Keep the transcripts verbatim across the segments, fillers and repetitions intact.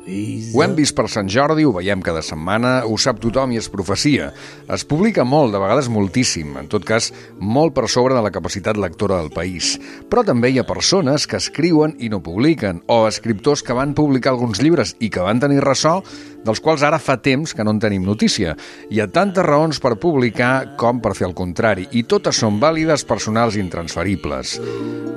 Ho hem vist per Sant Jordi, ho veiem cada setmana, ho sap tothom i es profecia. Es publica molt, de vegades moltíssim, en tot cas molt per sobre de la capacitat lectora del país. Però també hi ha persones que escriuen i no publiquen, o escriptors que van publicar alguns llibres i que van tenir ressò, dels quals ara fa temps que no en tenim notícia. Hi ha tantes raons per publicar com per fer el contrari, i totes són vàlides, personals i intransferibles.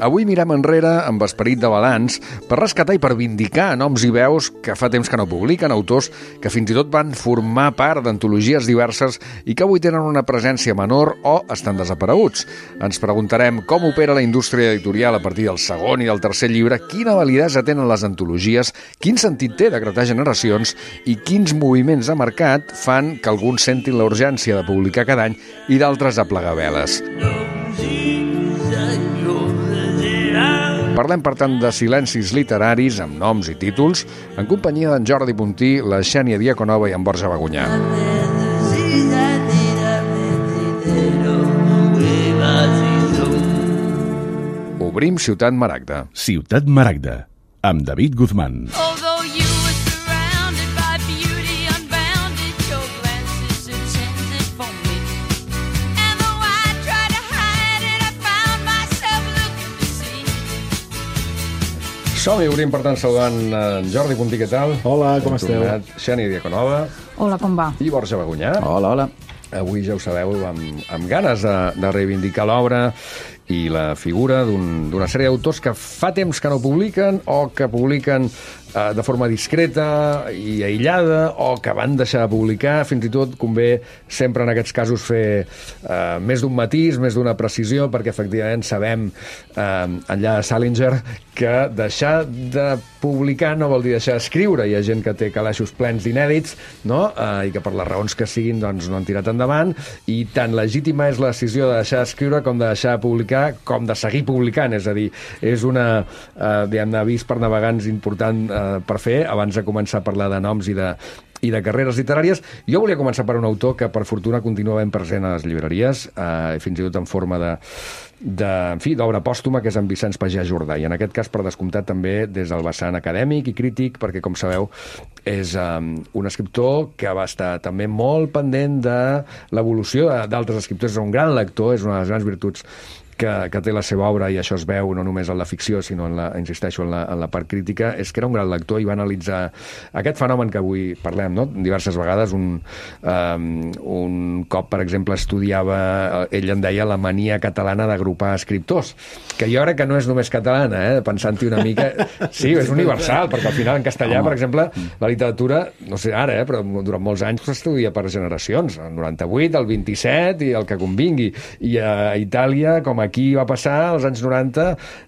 Avui mirem enrere amb esperit de balanç per rescatar i per vindicar noms i veus que fa temps que no publiquen, autors que fins i tot van formar part d'antologies diverses i que avui tenen una presència menor o estan desapareguts. Ens preguntarem com opera la indústria editorial a partir del segon i del tercer llibre, quina validesa tenen les antologies, quin sentit té decretar generacions i quins moviments de mercat fan que alguns sentin la urgència de publicar cada any i d'altres a plegar veles. Parlem, per tant, de silencis literaris amb noms i títols, en companyia d'en Jordi Puntí, la Xènia Diaconova i en Borja Bagunyà. Obrim Ciutat Maragda. Ciutat Maragda, amb David Guzmán. Som-hi, obrim, per tant, saludant en Jordi Puntí, què tal? Hola, com esteu? Xènia Diaconova. Hola, com va? I Borja Bagunyà. Hola, hola. Avui, ja ho sabeu, amb, amb ganes de, de reivindicar l'obra i la figura d'un, d'una sèrie d'autors que fa temps que no publiquen o que publiquen eh, de forma discreta i aïllada o que van deixar de publicar. Fins i tot convé sempre en aquests casos fer eh, més d'un matís, més d'una precisió, perquè efectivament sabem, eh, enllà de Salinger, que deixar de publicar no vol dir deixar d'escriure. Hi ha gent que té calaixos plens d'inèdits, no? eh, i que per les raons que siguin doncs, no han tirat endavant, i tan legítima és la decisió de deixar d'escriure com de deixar de publicar, com de seguir publicant. És a dir, és una eh, diguem-ne, avís per navegants important eh, per fer abans de començar a parlar de noms i de, i de carreres literàries. Jo volia començar per un autor que per fortuna continua ben present a les llibreries, eh, fins i tot en forma de, de, en fi, d'obra pòstuma, que és en Vicenç Pagès Jordà, i en aquest cas, per descomptat, també des del vessant acadèmic i crític, perquè, com sabeu, és um, un escriptor que va estar també molt pendent de l'evolució d'altres escriptors. És un gran lector, és una de les grans virtuts que, que té la seva obra, i això es veu no només en la ficció, sinó en la, insisteixo, en la, en la part crítica, és que era un gran lector i va analitzar aquest fenomen que avui parlem, no? Diverses vegades. Un, um, un cop, per exemple, estudiava, ell en deia, la mania catalana d'agrupar escriptors, que jo crec que no és només catalana, eh? Pensant-hi una mica... Sí, és universal, perquè al final en castellà, per exemple, la literatura, no sé ara, eh, però durant molts anys s'estudia per generacions, el noranta-vuit, el vint-i-set i el que convingui, i a Itàlia, com aquí va passar, als anys noranta,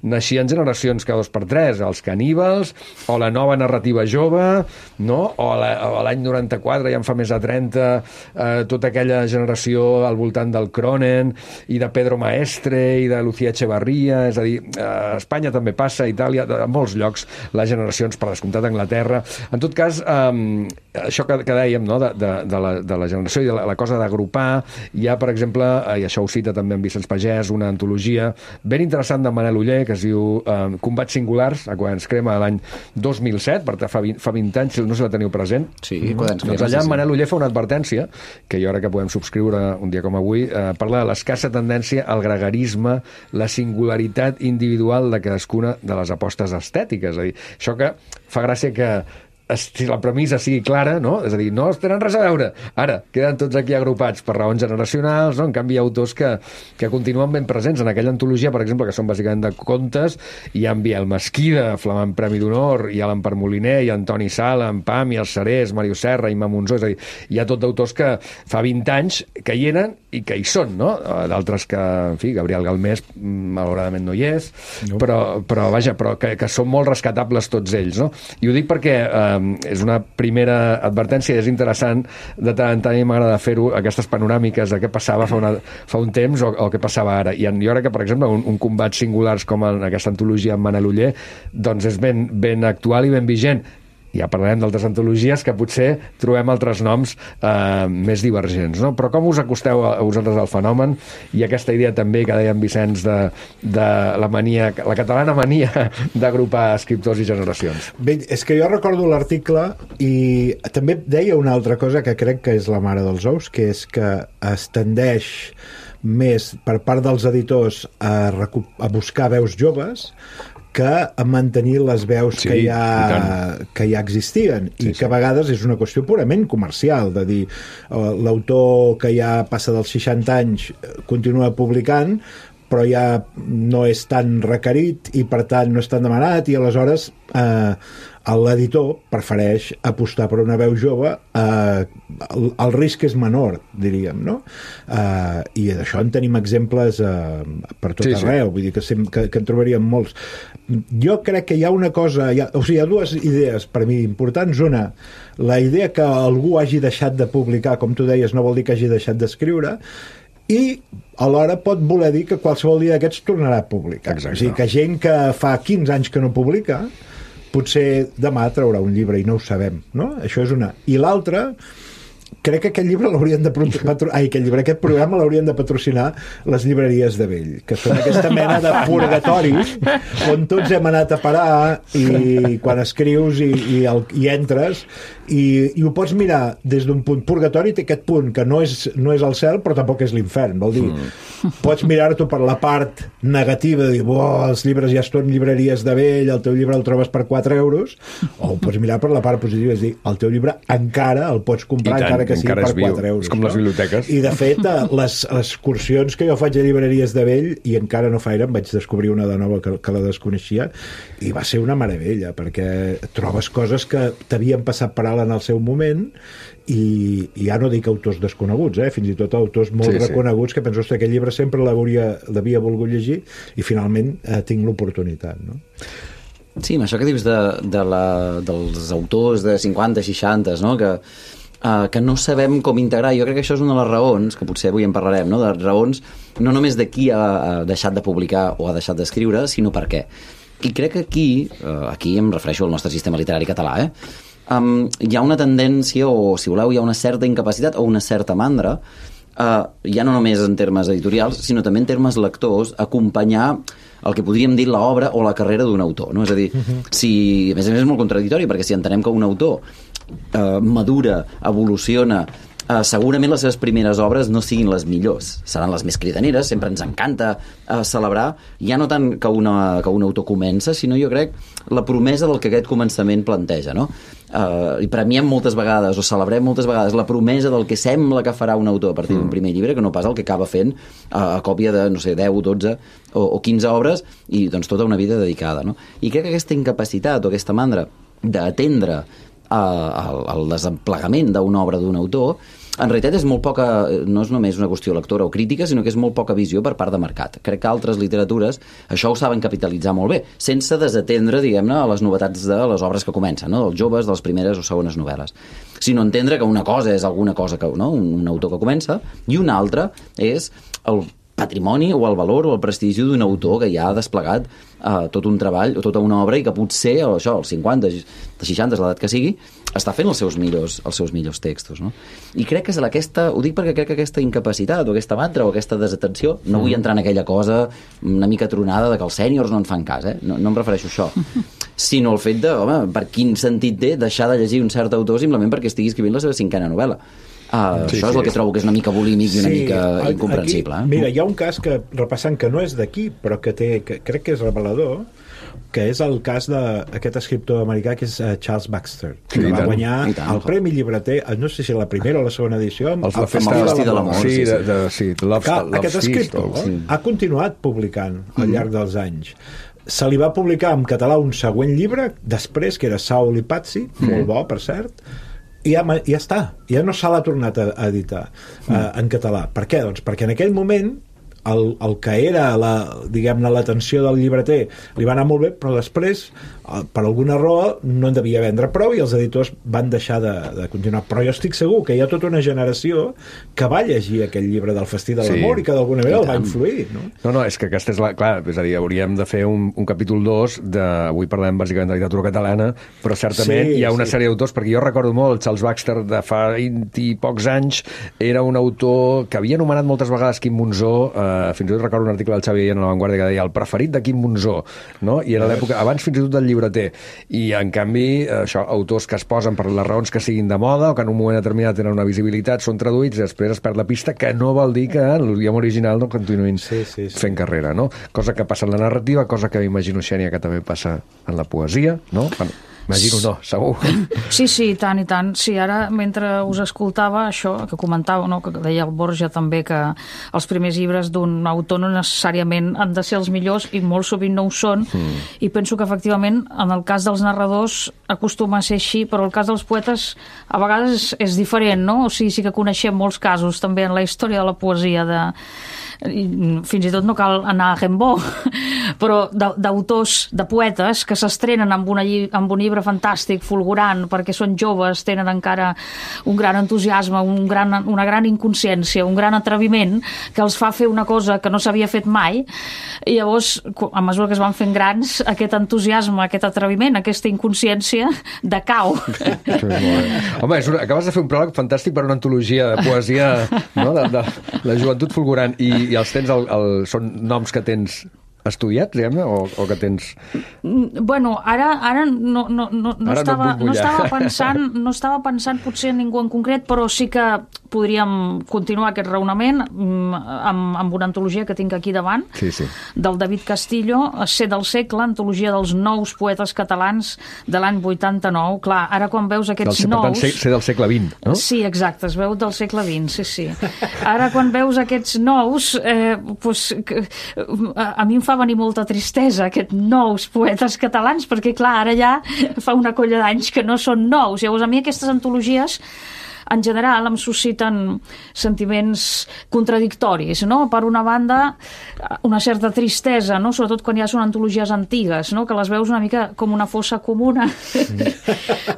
naixien generacions cada dos per tres, els caníbals, o la nova narrativa jove, no? O l'any noranta-quatre, ja en fa més de trenta, eh, tota aquella generació al voltant del Cronen, i de Pedro Maestre, i de Lucía Echevarría. És a dir, a Espanya també passa, a Itàlia, a molts llocs, les generacions, per descomptat, a Anglaterra. En tot cas, eh, això que, que dèiem, no? de, de, de, la, de la generació i de la, la cosa d'agrupar, hi ha, per exemple, i això ho cita també en Vicenç Pagès, una antologia ben interessant de Manel Oller, que es diu eh, Combats Singulars, a Quadern Crema, de l'any dos mil set, per fa vint, fa vint anys, no sé si la teniu present. Sí, Quadern Crema. Doncs allà sí, sí. Manel Oller fa una advertència, que jo crec que podem subscriure un dia com avui, eh, parla de l'escassa tendència al gregarisme, la singularitat individual de cadascuna de les apostes estètiques. És a dir, això que fa gràcia que si la premissa sigui clara, no? És a dir, no es tenen res a veure. Ara, queden tots aquí agrupats per raons generacionals, no? En canvi, hi ha autors que, que continuen ben presents. En aquella antologia, per exemple, que són bàsicament de contes, hi ha en Biel Mesquida, flamant Premi d'Honor, hi ha l'Empar Moliner, hi ha Antoni Sala, en Pam, i el Serés, Mario Serra, Imma Monzó. És a dir, hi ha tot d'autors que fa vint anys que hi eren i que hi són, no? D'altres que, en fi, Gabriel Galmés, malauradament no hi és, no. però, però vaja, però que, que són molt rescatables tots ells, no? I ho dic perquè eh, és una primera advertència, és interessant, de tant en tant m'agrada fer-ho, aquestes panoràmiques de què passava fa, una, fa un temps o, o què passava ara. I en, jo crec que, per exemple, un, un Combats Singulars com en aquesta antologia amb Manel Oller, doncs és ben, ben actual i ben vigent. ja parlarem d'altres antologies que potser trobem altres noms eh, més divergents, no? Però com us acosteu a, a vosaltres al fenomen i aquesta idea també que deia en Vicenç de, de la mania, la catalana mania d'agrupar escriptors i generacions? Bé, és que jo recordo l'article i també deia una altra cosa que crec que és la mare dels ous, que és que es tendeix més per part dels editors a, recu- a buscar veus joves que a mantenir les veus sí, que, ja, que ja existien i sí, que a vegades és una qüestió purament comercial, de dir l'autor que ja passa dels seixanta anys continua publicant però ja no és tan requerit i per tant no és tan demanat i aleshores eh, l'editor prefereix apostar per una veu jove, eh, el, el risc és menor, diríem, no? Eh, i d'això en tenim exemples eh, per tot sí, arreu, sí. Vull dir que, sem- que, que en trobaríem molts. Jo crec que hi ha una cosa, hi ha, o sigui, hi ha dues idees per mi importants. Una, la idea que algú hagi deixat de publicar, com tu deies, no vol dir que hagi deixat d'escriure, i alhora pot voler dir que qualsevol dia d'aquests tornarà a publicar. Exacte. O sigui, que gent que fa quinze anys que no publica potser demà traurà un llibre i no ho sabem, no? Això és una. I l'altra, crec que aquest llibre l'haurien de patro... Ai, aquest llibre, aquest programa l'haurien de patrocinar les llibreries de vell, que són aquesta mena de purgatori on tots hem anat a parar i quan escrius i, i, el, i entres i, i ho pots mirar des d'un punt. Purgatori té aquest punt que no és, no és el cel però tampoc és l'infern, vol dir mm. pots mirar-t'ho per la part negativa de dir, oh, els llibres ja estan llibreries de vell, el teu llibre el trobes per quatre euros, o ho pots mirar per la part positiva, és dir, el teu llibre encara el pots comprar encara que sigui per quatre euros. És com no? Les biblioteques. I de fet, les, les excursions que jo faig a llibreries de vell, i encara no fa gaire em vaig descobrir una de nova que, que la desconeixia, i va ser una meravella, perquè trobes coses que t'havien passat per alt en el seu moment, i, i ja no dic autors desconeguts, eh? Fins i tot autors molt sí, reconeguts sí. Que penso que aquest llibre sempre l'havia volgut llegir i finalment eh, tinc l'oportunitat, no? Sí, amb això que dius de, de la, dels autors de cinquanta, seixanta, no? Que Uh, que no sabem com integrar. Jo crec que això és una de les raons, que potser avui en parlarem, no? De raons no només de qui ha, ha deixat de publicar o ha deixat d'escriure, sinó per què. I crec que aquí, uh, aquí em refereixo al nostre sistema literari català, eh? um, hi ha una tendència, o si voleu, hi ha una certa incapacitat o una certa mandra, uh, ja no només en termes editorials, sinó també en termes lectors, acompanyar el que podríem dir l'obra o la carrera d'un autor, no? És a dir, uh-huh. si, a més a més és molt contradictori, perquè si entenem que un autor Uh, madura, evoluciona, uh, segurament les seves primeres obres no siguin les millors, seran les més cridaneres, sempre ens encanta uh, celebrar, ja no tant que, una, que un autor comença, sinó jo crec la promesa del que aquest començament planteja, no? Uh, i premiem moltes vegades, o celebrem moltes vegades la promesa del que sembla que farà un autor a partir d'un primer llibre, que no pas el que acaba fent uh, a còpia de, no sé, deu, dotze o, o quinze obres, i doncs tota una vida dedicada, no? I crec que aquesta incapacitat o aquesta mandra d'atendre al, al desemplegament d'una obra d'un autor, en realitat és molt poca, no és només una qüestió lectora o crítica, sinó que és molt poca visió per part de mercat. Crec que altres literatures això ho saben capitalitzar molt bé, sense desatendre, diguem-ne, a les novetats de les obres que comencen, no? Dels joves, de les primeres o segones novel·les. Sinó entendre que una cosa és alguna cosa, que, no? un, un autor que comença, i una altra és el patrimoni o el valor o el prestigi d'un autor que ja ha desplegat uh, tot un treball o tota una obra i que potser, això, als cinquanta, als seixanta, l'edat que sigui, està fent els seus millors, els seus millors textos, no? I crec que és aquesta, ho dic perquè crec que aquesta incapacitat o aquesta mantra o aquesta desatenció, no vull entrar en aquella cosa una mica tronada de que els sèniors no en fan cas, eh? no, no em refereixo a això, sinó el fet de, home, per quin sentit té deixar de llegir un cert autor simplement perquè estigui escrivint la seva cinquena novel·la. Uh, sí, això és sí. El que trobo que és una mica bulímic i una sí, mica incomprensible. Aquí, mira, hi ha un cas que, repassant, que no és d'aquí, però que té, que crec que és revelador, que és el cas d'aquest escriptor americà que és uh, Charles Baxter, que sí, va guanyar tant, el Premi Llibreter, no sé si la primera o la segona edició, amb, el, el, el Festi de l'Amor. Sí, de, de, sí, Love, que, Love aquest escriptor sí. ha continuat publicant al mm. llarg dels anys. Se li va publicar en català un següent llibre, després, que era Saul i Patsy, mm. molt bo, per cert, i ja, ja està, ja no se l'ha tornat a, a editar mm. uh, en català. Per què? Doncs perquè en aquell moment el, el que era la, diguem-ne, l'atenció del llibreter li va anar molt bé, però després per alguna raó no en devia vendre prou i els editors van deixar de, de continuar. Però jo estic segur que hi ha tota una generació que va llegir aquell llibre del Festí de l'Amor sí, i que d'alguna manera el va influir, no? No, no, és que aquesta és la... Clar, és a dir, hauríem de fer un, un capítol dos de... Avui parlem bàsicament de literatura catalana, però certament sí, hi ha una sí. sèrie d'autors, perquè jo recordo molt Charles Baxter de fa vint i pocs anys, era un autor que havia anomenat moltes vegades Quim Monzó, eh, fins i tot recordo un article del Xavi en La Vanguardia que deia el preferit de Quim Monzó, no? I era l'època, abans fins i tot del llibreter. I, en canvi, això, autors que es posen per les raons que siguin de moda o que en un moment determinat tenen una visibilitat, són traduïts i després es perd la pista, que no vol dir que en l'idioma original no continuïn sí, sí, sí. fent carrera, no? Cosa que passa en la narrativa, cosa que m'imagino, Xènia, que també passa en la poesia, no? Bueno, imagino no, segur. Sí, sí, i tant, i tant. Sí, ara, mentre us escoltava això, que comentava, no, que deia el Borja també, que els primers llibres d'un autor no necessàriament han de ser els millors, i molt sovint no ho són, mm. i penso que, efectivament, en el cas dels narradors acostuma a ser així, però el cas dels poetes a vegades és diferent, no? O sigui, sí que coneixem molts casos, també, en la història de la poesia, de fins i tot no cal anar a Rimbaud, però d'autors, de poetes que s'estrenen amb, una, amb un llibre fantàstic, fulgurant, perquè són joves, tenen encara un gran entusiasme, un gran, una gran inconsciència, un gran atreviment que els fa fer una cosa que no s'havia fet mai, i llavors, a mesura que es van fent grans, aquest entusiasme, aquest atreviment, aquesta inconsciència decau. Home, és una, acabes de fer un pròleg fantàstic per una antologia de poesia, no? de, de la joventut fulgurant, i i els tens, el, el, són noms que tens estudiats, diguem-ne, o, o que tens... Bueno, ara, ara, no, no, no, no, ara estava, no, no, estava pensant, no estava pensant potser en ningú en concret, però sí que podríem continuar aquest raonament amb, amb una antologia que tinc aquí davant, sí, sí. del David Castillo, Ser del segle, antologia dels nous poetes catalans de l'any vuitanta-nou. Clar, ara quan veus aquests del, nous... Per tant, ser del segle vint, no? Sí, exacte, es veu del segle vint, sí, sí. Ara quan veus aquests nous, eh, pues, a, a mi em fa venir molta tristesa, aquests nous poetes catalans, perquè clar, ara ja fa una colla d'anys que no són nous. Llavors, a mi aquestes antologies en general em susciten sentiments contradictoris, no? Per una banda, una certa tristesa, no? Sobretot quan ja són antologies antigues, no? Que les veus una mica com una fossa comuna.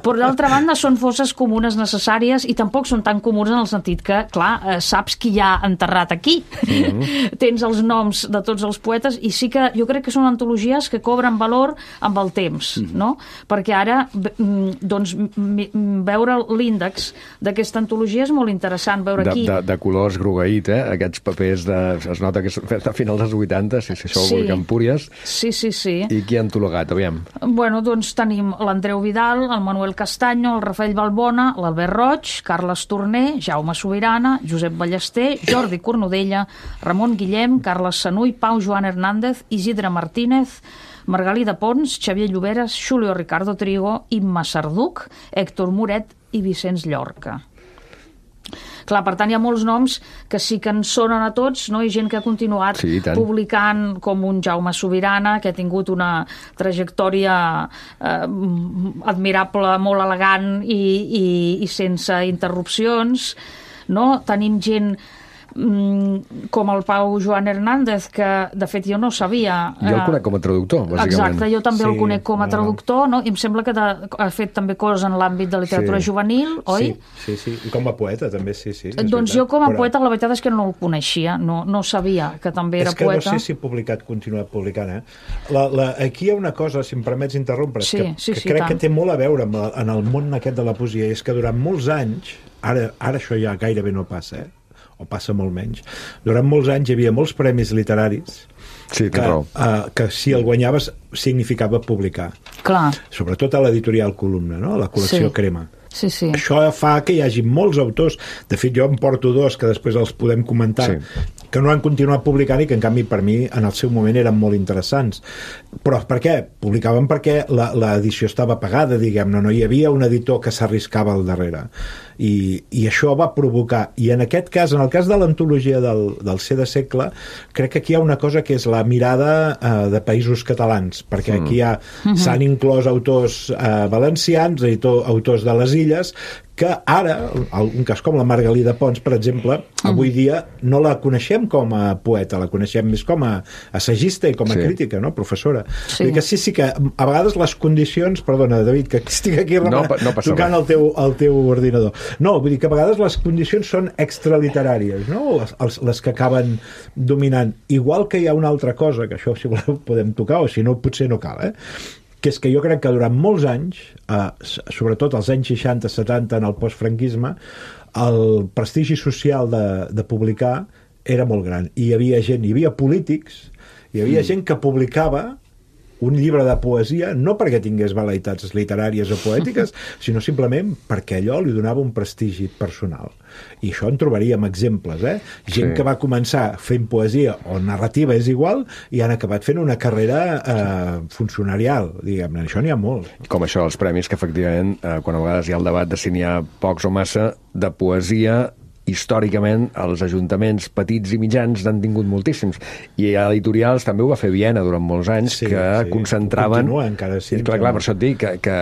Però d'altra banda són fosses comunes necessàries i tampoc són tan comuns en el sentit que, clar, saps qui hi ha enterrat aquí. Mm-hmm. Tens els noms de tots els poetes i sí que jo crec que són antologies que cobren valor amb el temps, mm-hmm. no? Perquè ara, doncs, veure l'índex d'aquest aquesta antologia és molt interessant veure aquí. De, de, de colors grogueït, eh? Aquests papers, de, es nota que és a finals dels vuitanta, si, si això ho sí. Vol Empúries. Sí, sí, sí. I qui ha antologat, aviam? Bueno, doncs tenim l'Andreu Vidal, el Manuel Castaño, el Rafael Balbona, l'Albert Roig, Carles Torner, Jaume Sobirana, Josep Ballester, Jordi Cornudella, Ramon Guillem, Carles Sanuy, Pau Joan Hernández, Isidre Martínez, Margalida Pons, Xavier Lloberes, Julio Ricardo Trigo, Imma Sarduc, Héctor Moret i Vicenç Llorca. Clar, per tant, hi ha molts noms que sí que en sonen a tots, no? I gent que ha continuat sí, publicant, com un Jaume Sobirana, que ha tingut una trajectòria eh, admirable, molt elegant i, i, i sense interrupcions, no? Tenim gent com el Pau Joan Hernández, que de fet jo no sabia... Jo el conec com a traductor, bàsicament. Exacte, jo també sí, el conec com a traductor, no? I em sembla que de, ha fet també coses en l'àmbit de literatura sí. juvenil, oi? Sí, sí, sí, i com a poeta també, sí, sí. Doncs veritat. Jo com a poeta la veritat és que no el coneixia, no, no sabia que també era poeta. És que no sé si ha publicat, continuat publicant, eh? La, la, aquí hi ha una cosa, si em permets interrompre, sí, que, sí, que sí, crec tant. que té molt a veure amb, en el món aquest de la poesia, és que durant molts anys, ara, ara això ja gairebé no passa, eh? O passa molt menys. Durant molts anys hi havia molts premis literaris sí, que, uh, que si el guanyaves significava publicar. Clar. Sobretot a l'editorial Columna, no? La col·lecció sí. Crema. Sí, sí. Això fa que hi hagi molts autors, de fet jo em porto dos que després els podem comentar, sí. que no han continuat publicant i que en canvi per mi en el seu moment eren molt interessants. Però per què? Publicaven perquè l'edició estava pagada, diguem-ne, no hi havia un editor que s'arriscava al darrere. I, i això va provocar, i en aquest cas, en el cas de l'antologia del, del Ser de segle, crec que aquí hi ha una cosa que és la mirada eh, de països catalans, perquè aquí hi ha, mm-hmm. s'han inclòs autors eh, valencians, editor, autors de les illes, que ara, un cas com la Margalida Pons, per exemple, avui dia no la coneixem com a poeta, la coneixem més com a assagista i com a sí. crítica, no? Professora. Sí. Que sí, sí que a vegades les condicions, perdona, David, que estic aquí no, no tocant el teu, el teu ordinador. No, vull dir que a vegades les condicions són extraliteràries, no? Les, els, les que acaben dominant. Igual que hi ha una altra cosa, que això si voleu podem tocar, o si no potser no cal, eh? Que és que jo crec que durant molts anys, eh, sobretot als anys seixanta setanta en el postfranquisme, el prestigi social de, de publicar era molt gran. I hi havia gent, hi havia polítics, hi havia mm. gent que publicava un llibre de poesia, no perquè tingués vel·leïtats literàries o poètiques, sinó simplement perquè allò li donava un prestigi personal. I això en trobaríem exemples, eh? Gent sí. que va començar fent poesia o narrativa és igual i han acabat fent una carrera eh, funcionarial, diguem-ne. Això n'hi ha molt. Com això, els premis, que efectivament, eh, quan a vegades hi ha el debat de si n'hi ha pocs o massa, de poesia històricament els ajuntaments petits i mitjans n'han tingut moltíssims, i a editorials també ho va fer Viena durant molts anys, sí, que sí. concentraven continua encara sí, clar, clar, per això et dic que, que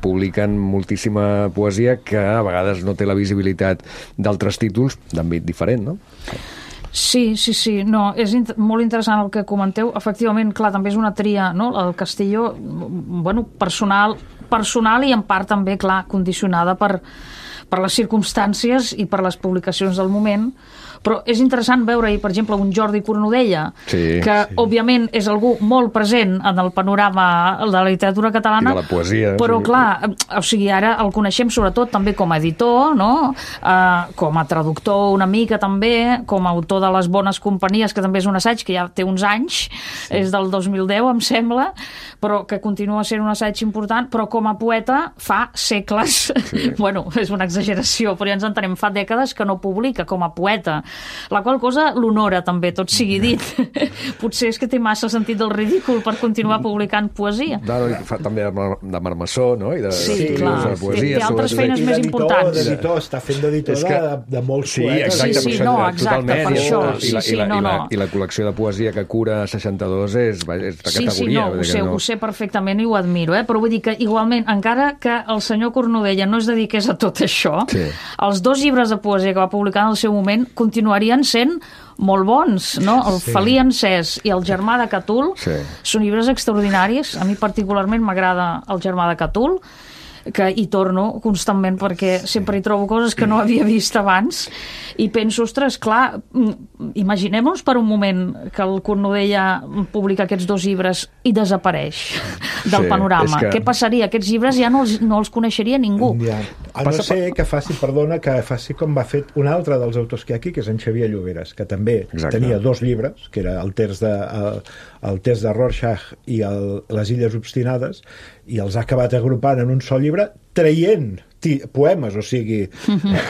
publiquen moltíssima poesia que a vegades no té la visibilitat d'altres títols d'àmbit diferent, no? Sí, sí, sí, no, és int molt interessant el que comenteu. Efectivament, clar, també és una tria, no? El Castillo, bueno, personal, personal i en part també, clar, condicionada per per les circumstàncies i per les publicacions del moment, però és interessant veure-hi, per exemple, un Jordi Cornudella, sí, que, sí. òbviament, és algú molt present en el panorama de la literatura catalana, i de la poesia, però, sí. clar, o sigui, ara el coneixem sobretot també com a editor, no? Uh, com a traductor una mica també, com a autor de Les bones companyies, que també és un assaig que ja té uns anys, sí. és del dos mil deu, em sembla, però que continua sent un assaig important, però com a poeta fa segles, sí. bueno, és una exageració, però ja ens entenem, fa dècades que no publica com a poeta, la qual cosa l'honora també, tot sigui dit. Potser és que té massa sentit del ridícul per continuar publicant poesia. No, no, fa també de marmessor, no? I de, sí, de, clar, de poesia, té altres feines més importants. D'editor, està fent d'editor que... de, de molts sí, poetes. Exacte, sí, sí, no, exacte, per això. I la, sí, sí, i la, no, i la, no. i la col·lecció de poesia que cura seixanta-dos és, és de sí, categoria. Sí, no, ho sé, no... ho sé perfectament i ho admiro, eh? Però vull dir que igualment, encara que el senyor Cornudella no es dediqués a tot això, sí. els dos llibres de poesia que va publicar en el seu moment continuarien sent molt bons, no? El sí. Felí encès i El germà de Catul sí. són llibres extraordinaris. A mi particularment m'agrada El germà de Catul, que hi torno constantment perquè sempre hi trobo coses que no havia vist abans i penso, ostres, clar, imaginem-nos per un moment que el Cornudella publica aquests dos llibres i desapareix del sí, panorama. Que... Què passaria? Aquests llibres ja no els, no els coneixeria ningú. Ja. A no ser que faci, perdona, que faci com va fer un altre dels autors que hi ha aquí, que és en Xavier Lloberes, que també Exacte. tenia dos llibres, que era el test de, el, el test de Rorschach i el, les Illes Obstinades, i els ha acabat agrupant en un sol llibre, traient poemes, o sigui,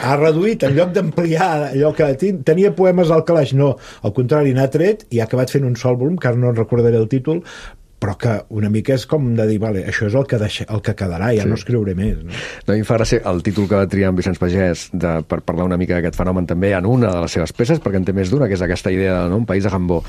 ha reduït, en lloc d'ampliar allò que tenia poemes al calaix, no, al contrari, n'ha tret i ha acabat fent un sol volum, que ara no recordaré el títol, però que una mica és com de dir, vale, això és el que, deixa, el que quedarà, ja sí. no escriuré més. No? No, a mi em fa gràcia el títol que va triar en Vicenç Pagès de, per parlar una mica d'aquest fenomen també en una de les seves peces, perquè en té més d'una, que és aquesta idea de no? Un país de Gambó.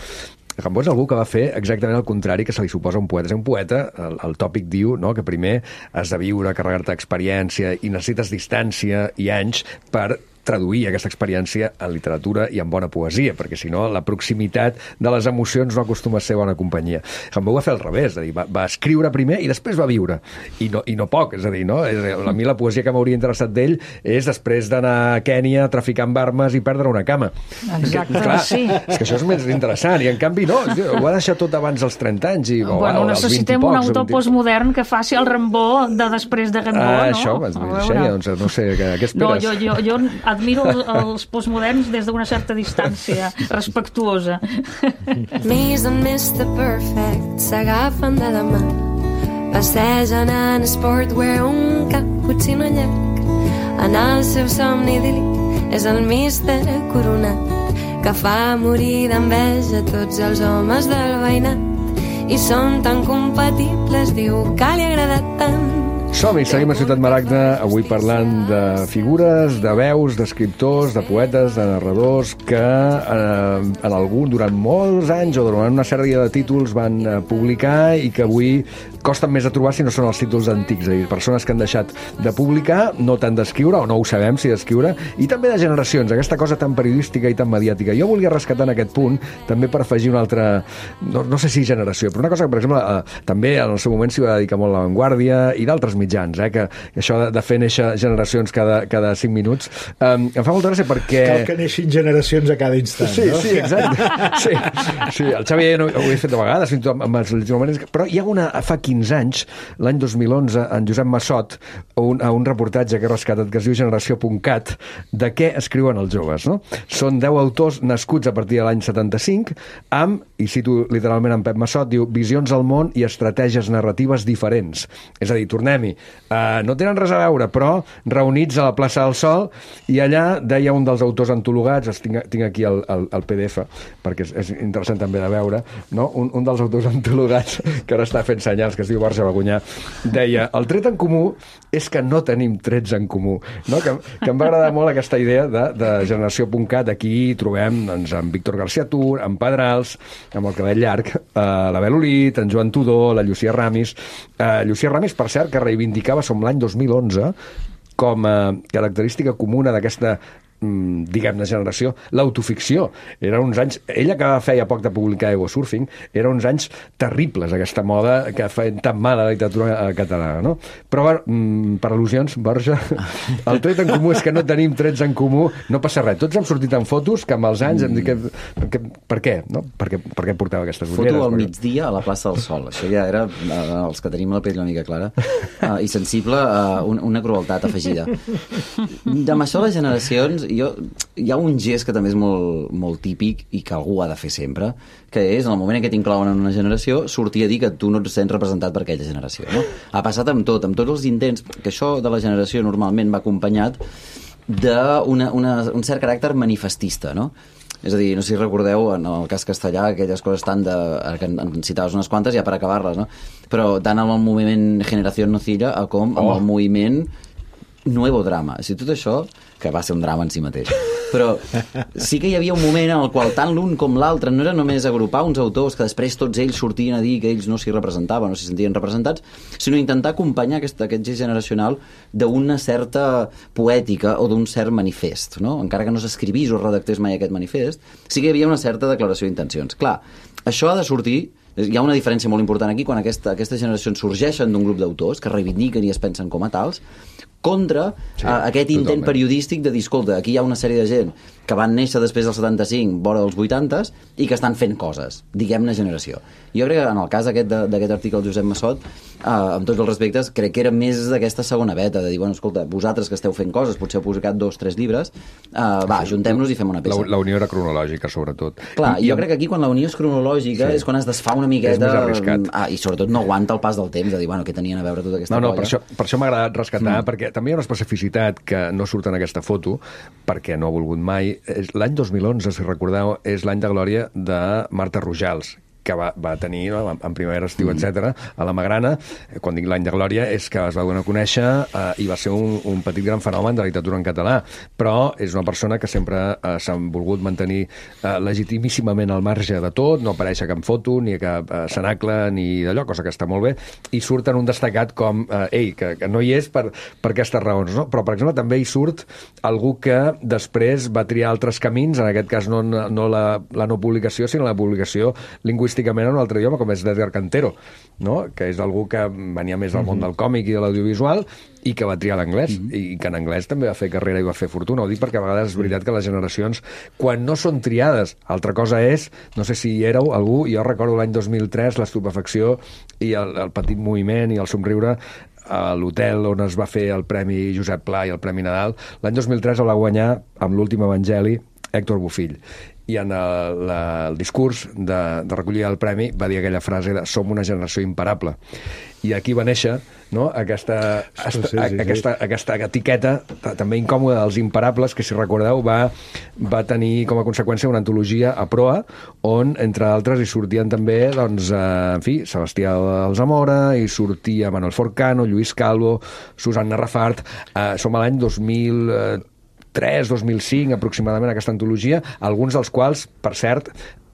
Gambó és algú que va fer exactament el contrari que se li suposa a un poeta. És un poeta, el, el tòpic diu no? que primer has de viure, carregar-te d'experiència i necessites distància i anys per traduir aquesta experiència en literatura i en bona poesia, perquè si no la proximitat de les emocions no acostuma a ser bona companyia. Gambó va fer al revés, és a dir, va, va escriure primer i després va viure, i no, i no poc, és a dir, no? A mi la poesia que m'hauria interessat d'ell és després d'anar a Kènia, traficar amb armes i perdre una cama. Exacte, que, clar, sí. És que això és més interessant, i en canvi no, ho ha deixat tot abans dels trenta anys. I, bueno, o, necessitem un autor postmodern que faci el Rambó de després de Gambó, ah, no? Això, Xènia, doncs no sé, què, què esperes? No, jo, jo, jo admiro els, els postmoderns des d'una certa distància respectuosa. Miss and mister Perfect s'agafen de la mà, passegen en sportwear un cappuccino llarg. En el seu somni idíl·lic és el mister Coronat, que fa morir d'enveja tots els homes del veïnat, i són tan compatibles, diu que li ha agradat tant Som-hi, seguim a Ciutat Maragda, avui parlant de figures, de veus, d'escriptors, de poetes, de narradors que eh, en algun, durant molts anys o durant una sèrie de títols van eh, publicar i que avui costen més a trobar si no són els títols antics, és a dir, persones que han deixat de publicar, no tant d'escriure, o no ho sabem si d'escriure, i també de generacions, aquesta cosa tan periodística i tan mediàtica. Jo volia rescatar en aquest punt, també per afegir una altra, no, no sé si generació, però una cosa que, per exemple, eh, també en el seu moment s'hi va dedicar molt La Vanguardia i d'altres mitjans, eh, que, que això de, de fer néixer generacions cada, cada cinc minuts, eh, em fa molta gràcia perquè... Cal que neixin generacions a cada instant, sí, no? Sí, exacte. Sí, sí, el Xavi no, ho he fet de vegades, fins i tot amb els moments, però hi ha una, fa quinze anys, l'any dos mil onze, en Josep Massot, un, a un reportatge que he rescatat que es diu Generació.cat, de què escriuen els joves, no? Són deu autors nascuts a partir de l'any setanta-cinc, amb, i cito literalment en Pep Massot, diu, visions al món i estratègies narratives diferents. És a dir, tornem-hi, uh, no tenen res a veure, però reunits a la plaça del Sol, i allà deia un dels autors antologats, tinc, tinc aquí el, el, el P D F, perquè és, és interessant també de veure, no? un, un dels autors antologats, que ara està fent senyals, que es diu Borja Bagunyà, deia, el tret en comú és que no tenim trets en comú, no? que, que em va agradar molt aquesta idea de, de Generació.cat. Aquí trobem doncs, en Víctor García Tur, en Pedrals, amb el cabell llarg, eh, la Bel Olit, en Joan Tudó, la Llucia Ramis. Eh, Llucia Ramis, per cert, que reivindicava, som l'any dos mil onze, com a característica comuna d'aquesta diguem-ne generació, l'autoficció. Eren uns anys, ella que feia poc de publicar Ego Surfing, eren uns anys terribles, aquesta moda que feien tan mal a la literatura catalana, no? Però per al·lusions, Borja, el tret en comú és que no tenim trets en comú, no passa res. Tots hem sortit en fotos que amb els anys hem dit que, que per què? No? Per què, per què portava aquestes ulleres? Foto al perquè... migdia a la plaça del Sol. Això ja era, els que tenim la pell una mica clara, uh, i sensible a uh, una crueltat afegida. Amb això les generacions, jo, hi ha un gest que també és molt, molt típic i que algú ha de fer sempre, que és, en el moment en què t'inclouen en una generació, sortir a dir que tu no et sents representat per aquella generació. No? Ha passat amb tot, amb tots els intents, que això de la generació normalment va acompanyat d'un cert caràcter manifestista, no? És a dir, no sé si recordeu, en el cas castellà, aquelles coses tant de... que en citaves unes quantes ja per acabar-les, no? Però tant amb el moviment Generació Nocilla com amb oh. el moviment Nuevo Drama. O sigui, tot això, que va ser un drama en si mateix. Però sí que hi havia un moment en el qual tant l'un com l'altre no era només agrupar uns autors que després tots ells sortien a dir que ells no s'hi representaven, no s'hi sentien representats, sinó intentar acompanyar aquest, aquest gest generacional d'una certa poètica o d'un cert manifest, no? Encara que no s'escrivís o redactés mai aquest manifest, sí que hi havia una certa declaració d'intencions. Clar, això ha de sortir. Hi ha una diferència molt important aquí quan aquesta, aquestes generacions sorgeixen d'un grup d'autors que reivindiquen i es pensen com a tals, contra sí, uh, aquest intent totalment. Periodístic de dir, escolta, aquí hi ha una sèrie de gent que van néixer després del setanta-cinc, vora dels vuitanta, i que estan fent coses, diguem-ne generació. Jo crec que en el cas d'aquest article del Josep Massot, uh, amb tots els respectes, crec que era més d'aquesta segona veta, de dir, bueno, escolta, vosaltres que esteu fent coses, potser heu publicat dos, tres llibres, uh, va, ajuntem-nos i fem una peça. La, la unió era cronològica, sobretot. Clar, I, jo crec que aquí quan la unió és cronològica sí. és quan es desfà una miqueta... És més arriscat. Ah, i sobretot no aguanta el pas del temps, de dir, bueno, què tenien a veure tota aquesta no, no, colla? Per això, per això m'ha agradat rescatar, mm. perquè també hi ha una especificitat que no surt en aquesta foto, perquè no ha volgut mai. L'any dos mil onze, si recordeu, és l'any de glòria de Marta Rojals, que va, va tenir, no, en primavera, estiu, mm. etcètera, a la Magrana. Quan dic l'any de glòria és que es va donar a conèixer eh, i va ser un, un petit gran fenomen de la literatura en català, però és una persona que sempre eh, s'ha volgut mantenir eh, legitimíssimament al marge de tot, no apareix a cap foto, ni a cap eh, cenacle, ni d'allò, cosa que està molt bé, i surt en un destacat com, eh, ei, que, que no hi és per, per aquestes raons, no? Però, per exemple, també hi surt algú que després va triar altres camins, en aquest cas no, no la, la no publicació, sinó la publicació lingüística en un altre idioma, com és d'Edgar Cantero, no? Que és algú que venia més del món del còmic i de l'audiovisual i que va triar l'anglès, mm -hmm. i que en anglès també va fer carrera i va fer fortuna. Ho dic perquè a vegades és veritat que les generacions, quan no són triades, altra cosa és, no sé si hi éreu algú, jo recordo l'any dos mil tres l'estupefacció i el, el petit moviment i el somriure a l'hotel on es va fer el Premi Josep Pla i el Premi Nadal. L'any dos mil tres el va guanyar amb l'últim evangeli Héctor Bofill, i en el, la, el discurs de, de recollir el premi va dir aquella frase de som una generació imparable. I aquí va néixer no? aquesta, Sí, sí, sí, aquesta, aquesta etiqueta també incòmoda dels Imparables, que si recordeu va, va tenir com a conseqüència una antologia a proa, on entre altres hi sortien també doncs, eh, en fi, Sebastià Alzamora, hi sortia Manuel Forcano, Lluís Calvo, Susanna Rafart. eh, som a l'any dos mil tres, dos mil cinc aproximadament, aquesta antologia, alguns dels quals, per cert,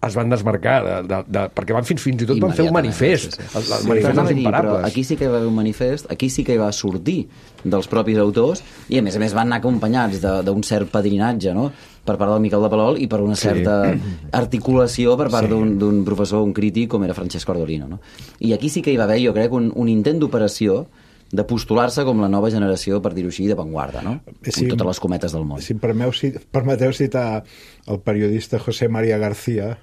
es van desmarcar, de, de, de, perquè van fins, fins i tot van fer un manifest. Sí, sí. El, el Sí, manifest però dels dir, Imparables. però aquí sí que hi va haver un manifest, aquí sí que hi va sortir dels propis autors, i a més a més van anar acompanyats d'un cert padrinatge, no?, per part del Miquel de Palol i per una certa sí. articulació per part sí. d'un professor, un crític, com era Francesc Ordolino, no? I aquí sí que hi va haver, jo crec, un, un intent d'operació de postular-se com la nova generació, per dir-ho així, d'avantguarda, no? Sí, amb totes les cometes del món. Si em permeteu, si, permeteu citar el periodista José María García,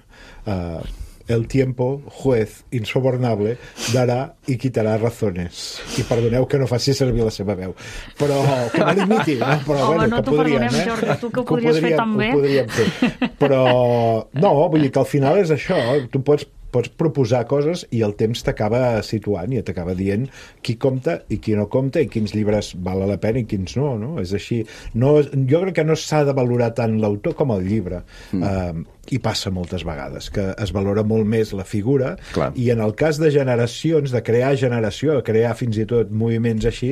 eh, el tiempo, juez insobornable, darà i quitarà razones. I perdoneu que no faci servir la seva veu. Però que me limiti, no? Però, Home, bueno, no que t'ho podríem, perdonem, eh? Jordi, tu que ho Que podries fer tan bé. Ho podríem fer. Però, no, vull dir que al final és això. Tu pots pots proposar coses i el temps t'acaba situant i t'acaba dient qui compta i qui no compta i quins llibres val la pena i quins no, no? És així. No, jo crec que no s'ha de valorar tant l'autor com el llibre. Mm. Uh, i passa moltes vegades, que es valora molt més la figura. Clar. I en el cas de generacions, de crear generació, de crear fins i tot moviments així,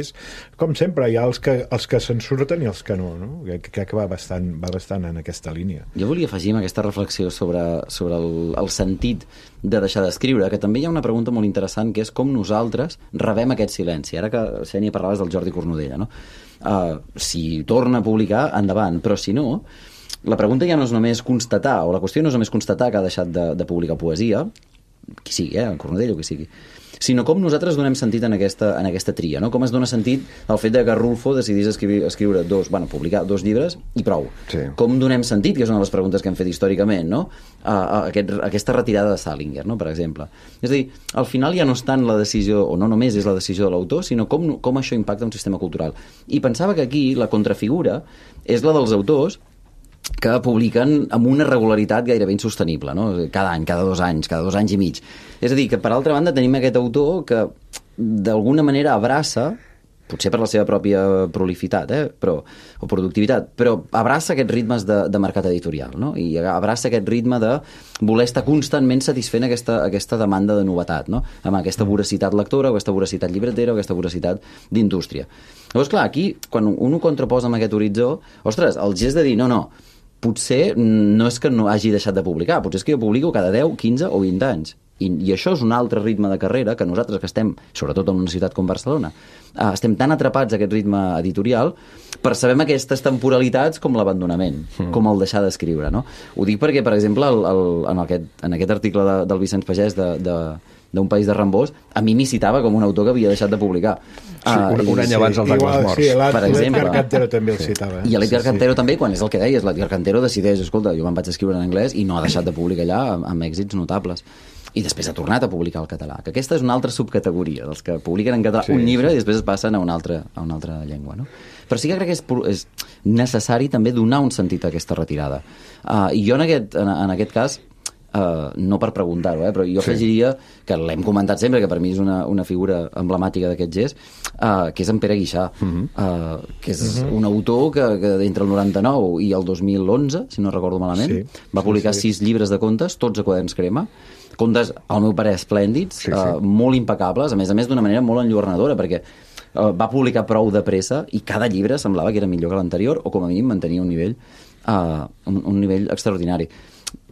com sempre, hi ha els que, els que se'n surten i els que no, no? Crec que va bastant, va bastant en aquesta línia. Jo volia afegir amb aquesta reflexió sobre, sobre el, el sentit de deixar d'escriure, que també hi ha una pregunta molt interessant, que és com nosaltres rebem aquest silenci. Ara que, Xènia, parlaves del Jordi Cornudella, no? Uh, si torna a publicar, endavant, però si no, la pregunta ja no és només constatar, o la qüestió no és només constatar que ha deixat de, de publicar poesia, qui sigui, eh, en Cornudella o qui sigui, sinó com nosaltres donem sentit en aquesta, en aquesta tria, no? Com es dona sentit el fet de que Rulfo decidís escriure, escriure dos, bueno, publicar dos llibres i prou. Sí. Com donem sentit, que és una de les preguntes que hem fet històricament, no? A, a aquest, a aquesta retirada de Salinger, no? Per exemple. És a dir, al final ja no és tant la decisió, o no només és la decisió de l'autor, sinó com, com això impacta un sistema cultural. I pensava que aquí la contrafigura és la dels autors que publiquen amb una regularitat gairebé insostenible, no? Cada any, cada dos anys, cada dos anys i mig. És a dir, que per altra banda tenim aquest autor que d'alguna manera abraça, potser per la seva pròpia prolificitat, eh? però, o productivitat, però abraça aquests ritmes de, de mercat editorial, no? I abraça aquest ritme de voler estar constantment satisfent aquesta, aquesta demanda de novetat, no? Amb aquesta voracitat lectora, o aquesta voracitat llibretera, o aquesta voracitat d'indústria. Llavors, clar, aquí, quan un ho contraposa amb aquest horitzó, ostres, el gest de dir, no, no, potser no és que no hagi deixat de publicar, potser és que jo publico cada deu, quinze o vint anys. I, i això és un altre ritme de carrera que nosaltres que estem, sobretot en una ciutat com Barcelona, eh, estem tan atrapats a aquest ritme editorial, percebem aquestes temporalitats com l'abandonament, mm. com el deixar d'escriure, no? Ho dic perquè, per exemple, el, el, en, aquest, en aquest article de, del Vicenç Pagès de, de, d'un país de Rambós, a mi m'hi citava com un autor que havia deixat de publicar. Sí, un, un any abans dels Angles Morts. Sí, per exemple. L'Edgar Cantero també el citava. Eh? I l'Edgar sí, Cantero sí. també, quan és el que deies, l'Edgar Cantero decideix, escolta, jo me'n vaig escriure en anglès i no ha deixat de publicar allà amb, amb èxits notables. I després ha tornat a publicar el català, que aquesta és una altra subcategoria, dels que publiquen en català sí, un llibre sí. i després es passen a una altra, a una altra llengua, no? Però sí que crec que és, és necessari també donar un sentit a aquesta retirada. Uh, I jo en aquest, en, en aquest cas, Uh, no per preguntar-ho, eh, però jo sí. afegiria que l'hem comentat sempre, que per mi és una, una figura emblemàtica d'aquest gest, uh, que és en Pere Guixà, uh -huh. uh, que és uh -huh. un autor que, que entre el noranta-nou i el dos mil onze, si no recordo malament, sí. va publicar sí, sí. sis llibres de contes, tots a quaderns crema, contes, al meu parer, esplèndids, sí, sí. Uh, molt impecables, a més a més d'una manera molt enlluernadora, perquè uh, va publicar prou de pressa i cada llibre semblava que era millor que l'anterior, o com a mínim mantenia un nivell, uh, un, un nivell extraordinari.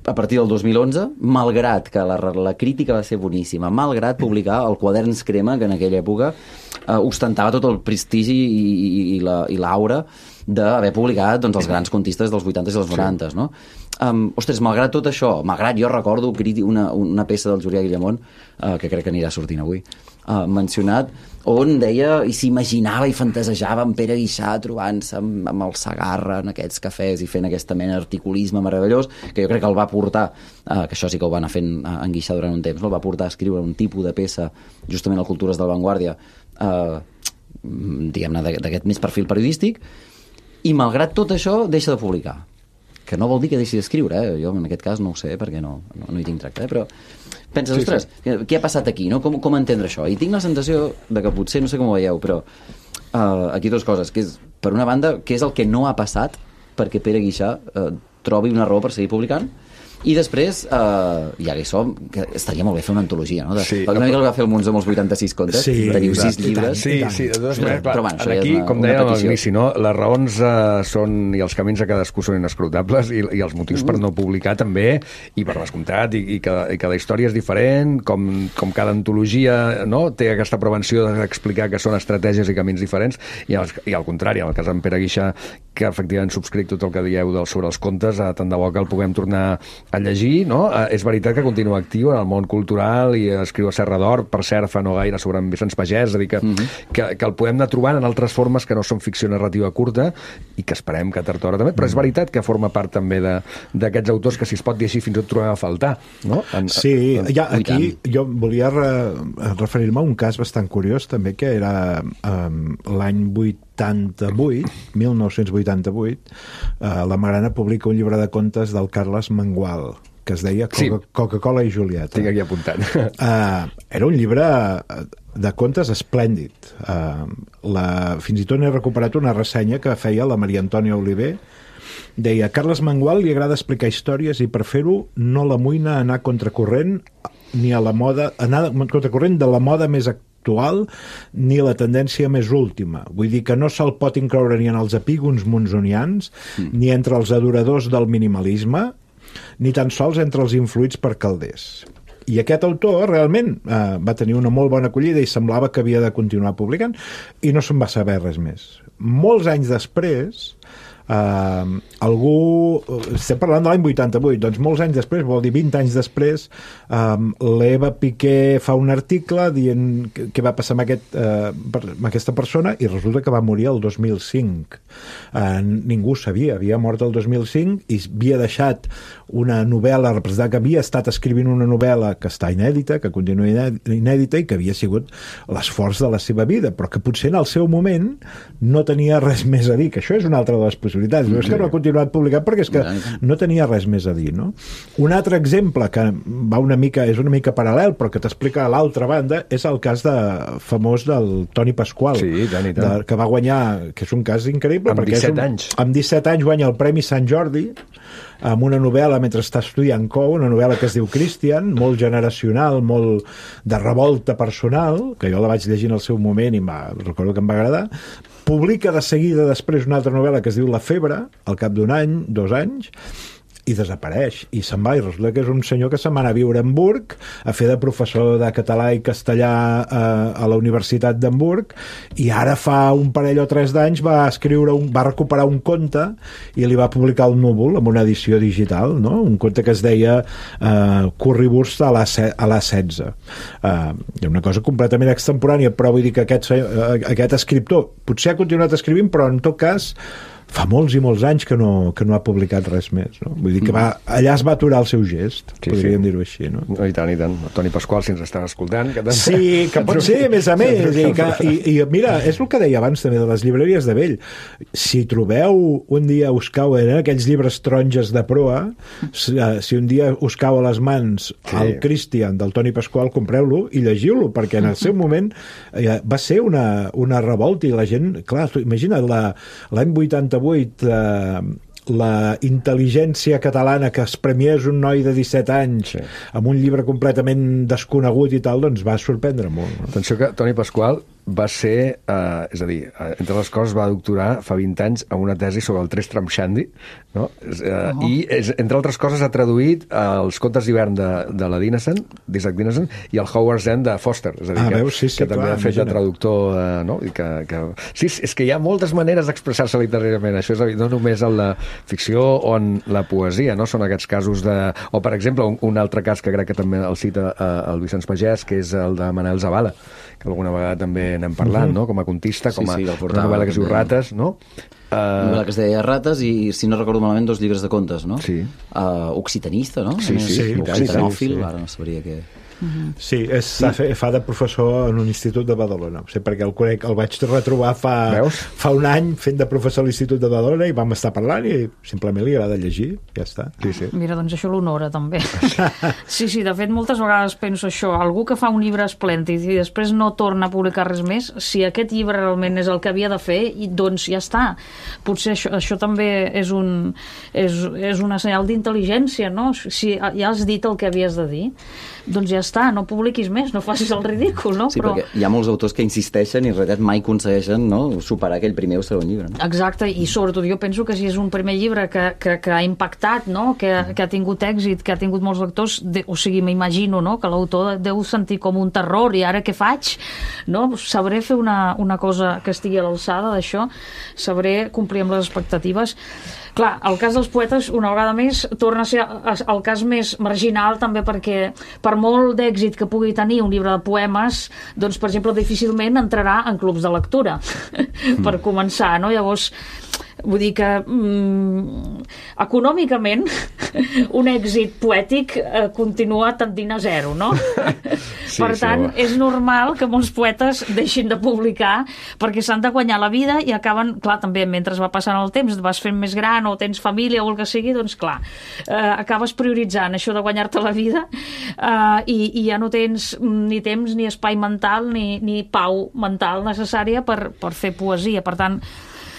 A partir del dos mil onze, malgrat que la, la crítica va ser boníssima, malgrat publicar el Quaderns Crema, que en aquella època eh, ostentava tot el prestigi i, i, i l'aura la, d'haver publicat doncs, els grans contistes dels vuitanta i dels noranta, sí. no? Um, ostres, malgrat tot això, malgrat jo recordo una, una peça del Julià Guillamont, uh, que crec que anirà sortint avui, uh, mencionat, on deia i s'imaginava i fantasejava en Pere Guixà trobant-se amb, amb el Segarra en aquests cafès i fent aquesta mena d'articulisme meravellós, que jo crec que el va portar, uh, que això sí que ho va anar fent uh, en Guixà durant un temps, no? El va portar a escriure un tipus de peça justament a Cultures de l'Avantguàrdia, uh, diguem-ne, d'aquest més perfil periodístic, i malgrat tot això deixa de publicar. que no vol dir que deixi d'escriure, eh? Jo en aquest cas no ho sé, perquè no, no, no hi tinc tracte, eh? Però penses, sí, ostres, sí. què ha passat aquí, no? Com, com entendre això? I tinc la sensació de que potser, no sé com ho veieu, però uh, aquí dues coses, que és, per una banda, què és el que no ha passat perquè Pere Guixà uh, trobi una raó per seguir publicant, i després, uh, ja que hi som, que estaria molt bé fer una antologia, no? De, sí, una mica el va fer el Mons amb els vuitanta-sis contes, sí, teniu sis llibres. Sí, sí, de totes maneres, clar, però, bueno, aquí, ja una, com dèiem a l'inici, no? Les raons uh, són, i els camins de cadascú són inescrutables, i, i els motius mm. per no publicar també, i per descomptat, i, i, cada, i cada història és diferent, com, com cada antologia, no? Té aquesta prevenció d'explicar que són estratègies i camins diferents, i, els, i al contrari, en el cas d'en Pere Guixà, que efectivament subscric tot el que dieu del, sobre els contes, uh, tant de bo que el puguem tornar a llegir, no? Uh, és veritat que continua actiu en el món cultural i escriu a Serra d'Or, per cert, fa no gaire sobre en Vicenç Pagès, és a dir, que, mm -hmm. que, que el podem anar trobant en altres formes que no són ficció narrativa curta i que esperem que tard o d'hora també, però és veritat que forma part també d'aquests autors que, si es pot dir així, fins i tot trobem a faltar, no? En, sí, en, ja, aquí jo volia re, referir-me a un cas bastant curiós també, que era um, l'any vuitanta-vuit, mil nou-cents vuitanta-vuit, uh, la Magrana publica un llibre de contes del Carles Mengual, que es deia Coca- sí. Coca-Cola i Julieta. Tinc aquí apuntat. Uh, era un llibre de contes esplèndid. Uh, la, fins i tot n'he recuperat una ressenya que feia la Maria Antònia Oliver. Deia, Carles Mengual li agrada explicar històries i per fer-ho no l'amoïna anar contracorrent ni a la moda, anar contracorrent de la moda més actual ni la tendència més última. Vull dir que no se'l pot incloure ni en els epígons monsonians, mm. ni entre els adoradors del minimalisme, ni tan sols entre els influïts per Calders. I aquest autor realment eh, va tenir una molt bona acollida i semblava que havia de continuar publicant i no se'n va saber res més. Molts anys després, eh, algú... Estem parlant de l'any vuitanta-vuit, doncs molts anys després, vol dir vint anys després, eh, l'Eva Piqué fa un article dient què va passar amb, aquest, eh, amb aquesta persona i resulta que va morir el dos mil cinc. Eh, ningú sabia, havia mort el dos mil cinc i havia deixat una novel·la, representar que havia estat escrivint una novel·la que està inèdita, que continua inèdita i que havia sigut l'esforç de la seva vida, però que potser en el seu moment no tenia res més a dir, que això és una altra de les possibilitats. No és que no ha continuat publicant perquè és que no tenia res més a dir, no? Un altre exemple que va una mica, és una mica paral·lel, però que t'explica a l'altra banda, és el cas de, famós del Toni Pasqual, sí, tant i tant. De, que va guanyar, que és un cas increïble, amb perquè disset és un, anys. Amb disset anys guanya el Premi Sant Jordi amb una novel·la mentre està estudiant C O U, una novel·la que es diu Christian, molt generacional, molt de revolta personal, que jo la vaig llegir en el seu moment i va, recordo que em va agradar. Publica de seguida després una altra novel·la que es diu La febre, al cap d'un any, dos anys, i desapareix, i se'n va, i resulta que és un senyor que se'n va anar a viure a Hamburg a fer de professor de català i castellà a, a la Universitat d'Hamburg, i ara fa un parell o tres d'anys va escriure un, va recuperar un conte i li va publicar el Núvol amb una edició digital, no? Un conte que es deia uh, Currywurst a la, a la setze. Uh, una cosa completament extemporània, però vull dir que aquest, uh, aquest escriptor potser ha continuat escrivint, però en tot cas fa molts i molts anys que no, que no ha publicat res més, no? Vull dir que va, allà es va aturar el seu gest, sí, podríem sí. dir-ho així, no? no? I tant, i tant. Toni Pasqual, si ens estàs escoltant... Que sí, que pot ser, a més a més. I, que, i, I mira, és el que deia abans també de les llibreries de vell. Si trobeu un dia us cauen eh, aquells llibres taronges de proa, si, si un dia us cau a les mans sí. el Christian del Toni Pasqual, compreu-lo i llegiu-lo, perquè en el seu moment eh, va ser una, una revolta i la gent... Clar, imagina't, l'any vuitanta-vuit Eh, la intel·ligència catalana que es premiés un noi de disset anys sí. amb un llibre completament desconegut i tal, doncs va sorprendre molt, no? Atenció que Toni Pasqual va ser, eh, és a dir, entre les coses va doctorar fa vint anys amb una tesi sobre el Tristram Shandy, no? Eh, oh. I és, entre altres coses ha traduït els contes d'hivern de, de la Dinesen, d'Isaac Dinesen, i el Howard's End de Foster, és a dir, ah, que, veus, sí, sí, que també clar, ha fet imagina. de traductor, eh, no? I que, que... Sí, és que hi ha moltes maneres d'expressar-se literàriament, això és a dir, no només en la ficció o en la poesia, no? Són aquests casos de... O, per exemple, un, un altre cas que crec que també el cita eh, el Vicenç Pagès, que és el de Manel Zavala, que alguna vegada també n'hem parlat, uh-huh. no? Com a contista, com a sí, sí, una novel·la que es diu Rates, no? Uh... Una novel·la que es deia Rates i, si no recordo malament, dos llibres de contes, no? Sí. Uh, occitanista, no? Sí, sí. sí occitanòfil, sí, sí. Ara no sabria què... Mm-hmm. Sí, és, sí. fa de professor en un institut de Badalona. O sigui, perquè el conec, el vaig retrobar fa, fa un any fent de professor a l'Institut de Badalona i vam estar parlant i simplement li agrada llegir, ja està. Sí, sí. Mira, doncs això l'honora també. Sí, sí, de fet moltes vegades penso això, algú que fa un llibre esplèndid i després no torna a publicar res més, si aquest llibre realment és el que havia de fer, doncs ja està. Potser això, això també és, un, és, és una senyal d'intel·ligència, no? Si ja has dit el que havies de dir, doncs ja està, no publiquis més, no facis el ridícul, no? Sí, Però... perquè hi ha molts autors que insisteixen i en realitat mai aconsegueixen, no?, superar aquell primer o segon llibre. No? Exacte, i sobretot jo penso que si és un primer llibre que, que, que ha impactat, no?, que, que ha tingut èxit, que ha tingut molts lectors, de, o sigui, m'imagino, no?, que l'autor deu sentir com un terror i ara què faig? No? Sabré fer una, una cosa que estigui a l'alçada d'això, sabré complir amb les expectatives. Clar, el cas dels poetes, una vegada més, torna a ser el cas més marginal, també perquè, per molt d'èxit que pugui tenir un llibre de poemes, doncs, per exemple, difícilment entrarà en clubs de lectura, mm. per començar, no? Llavors, vull dir que mm, econòmicament un èxit poètic eh, continua tendint a zero, no? Sí, per tant, sí, és normal que molts poetes deixin de publicar perquè s'han de guanyar la vida i acaben, clar, també mentre va passant el temps, et vas fent més gran o tens família o el que sigui, doncs clar, eh, acabes prioritzant això de guanyar-te la vida eh, i, i ja no tens ni temps ni espai mental ni, ni pau mental necessària per, per fer poesia. Per tant,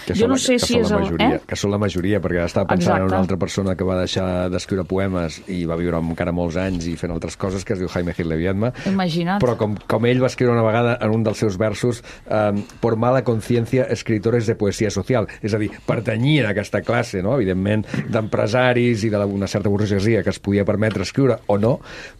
que jo no la, sé que si és el... Majoria, Eh? Que són la majoria, perquè estava pensant Exacte. en una altra persona que va deixar d'escriure poemes i va viure encara molts anys i fent altres coses, que es diu Jaime Gil de Viedma. Imagina't. Però com, com ell va escriure una vegada en un dels seus versos, um, por mala conciencia, escritores de poesia social. És a dir, pertanyia a aquesta classe, no?, evidentment, d'empresaris i d'una certa burgesia que es podia permetre escriure o no,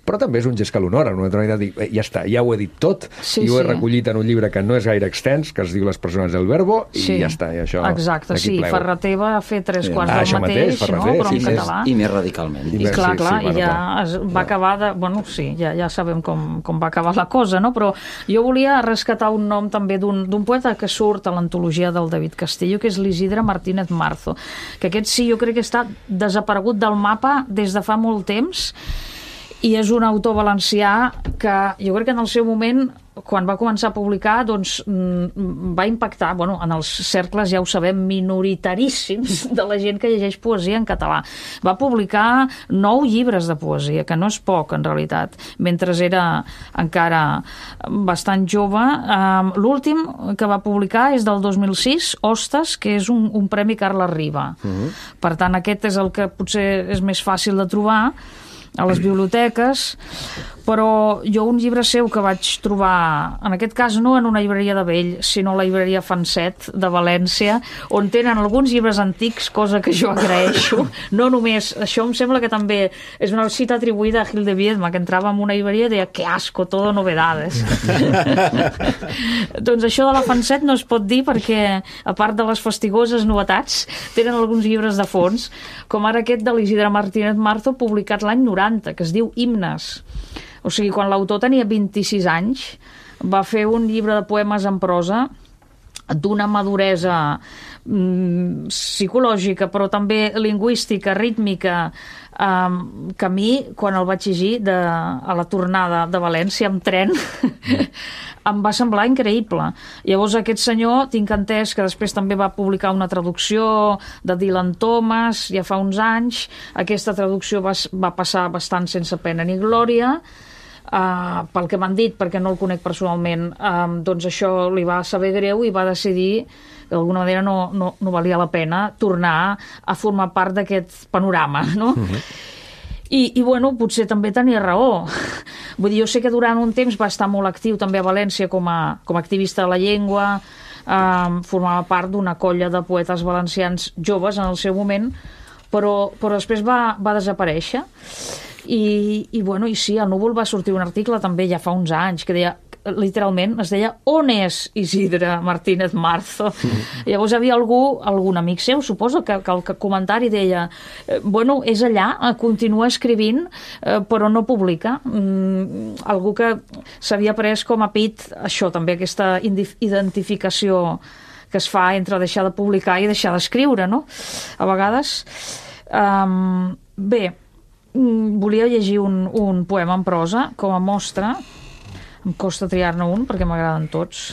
però també és un gest que l'honora, una altra manera de dir, eh, ja està, ja ho he dit tot, sí, i ho he sí. recollit en un llibre que no és gaire extens, que es diu Les persones del verbo, i sí. ja està, i això... Exacte, sí, plego. Ferreter va fer tres Sí. quarts Ah, del això mateix, mateix, Ferreter, no? Però sí, en sí. català. I més radicalment. I clar, Sí, clar, sí, bueno, i ja clar. es va acabar de... Bueno, sí, ja, ja sabem com, com va acabar la cosa, no? Però jo volia rescatar un nom també d'un poeta que surt a l'antologia del David Castillo, que és l'Isidre Martínez Marzo, que aquest sí, jo crec que està desaparegut del mapa des de fa molt temps, i és un autor valencià que jo crec que en el seu moment, quan va començar a publicar, doncs va impactar, bueno, en els cercles, ja ho sabem, minoritaríssims de la gent que llegeix poesia en català. Va publicar nou llibres de poesia, que no és poc, en realitat, mentre era encara bastant jove. L'últim que va publicar és del dos mil sis, Hostes, que és un, un premi Carles Riba. Uh-huh. Per tant, aquest és el que potser és més fàcil de trobar a les biblioteques, però jo un llibre seu que vaig trobar, en aquest cas no en una llibreria de vell, sinó a la llibreria Fanset de València, on tenen alguns llibres antics, cosa que jo agraeixo. No només, això em sembla que també és una cita atribuïda a Gil de Viedma, que entrava en una llibreria i deia, que asco, todo novedades. Doncs això de la Fanset no es pot dir perquè, a part de les fastigoses novetats, tenen alguns llibres de fons, com ara aquest de l'Isidre Martínez Marzo, publicat l'any noranta, que es diu Himnes. O sigui, quan l'autor tenia vint-i-sis anys, va fer un llibre de poemes en prosa d'una maduresa mm, psicològica, però també lingüística, rítmica, um, que a mi, quan el vaig llegir de, a la tornada de València amb tren, em va semblar increïble. Llavors aquest senyor, tinc entès que després també va publicar una traducció de Dylan Thomas, ja fa uns anys. Aquesta traducció va, va passar bastant sense pena ni glòria, uh, pel que m'han dit, perquè no el conec personalment, uh, doncs això li va saber greu i va decidir que d'alguna manera no, no, no valia la pena tornar a formar part d'aquest panorama, no? Uh-huh. I, i bueno, potser també tenia raó. Vull dir, jo sé que durant un temps va estar molt actiu també a València com a, com a activista de la llengua, eh, formava part d'una colla de poetes valencians joves en el seu moment, però, però després va, va desaparèixer. I, i, bueno, i sí, al Núvol va sortir un article també ja fa uns anys que deia, literalment, es deia on és Isidre Martínez Marzo? Mm. Llavors hi havia algú, algun amic seu, suposo, que, que el comentari deia bueno, és allà, continua escrivint, eh, però no publica. Mm, algú que s'havia pres com a pit això, també aquesta identificació que es fa entre deixar de publicar i deixar d'escriure, no? A vegades. Um, bé, mm, volia llegir un, un poema en prosa com a mostra. Em costa triar-ne un perquè m'agraden tots.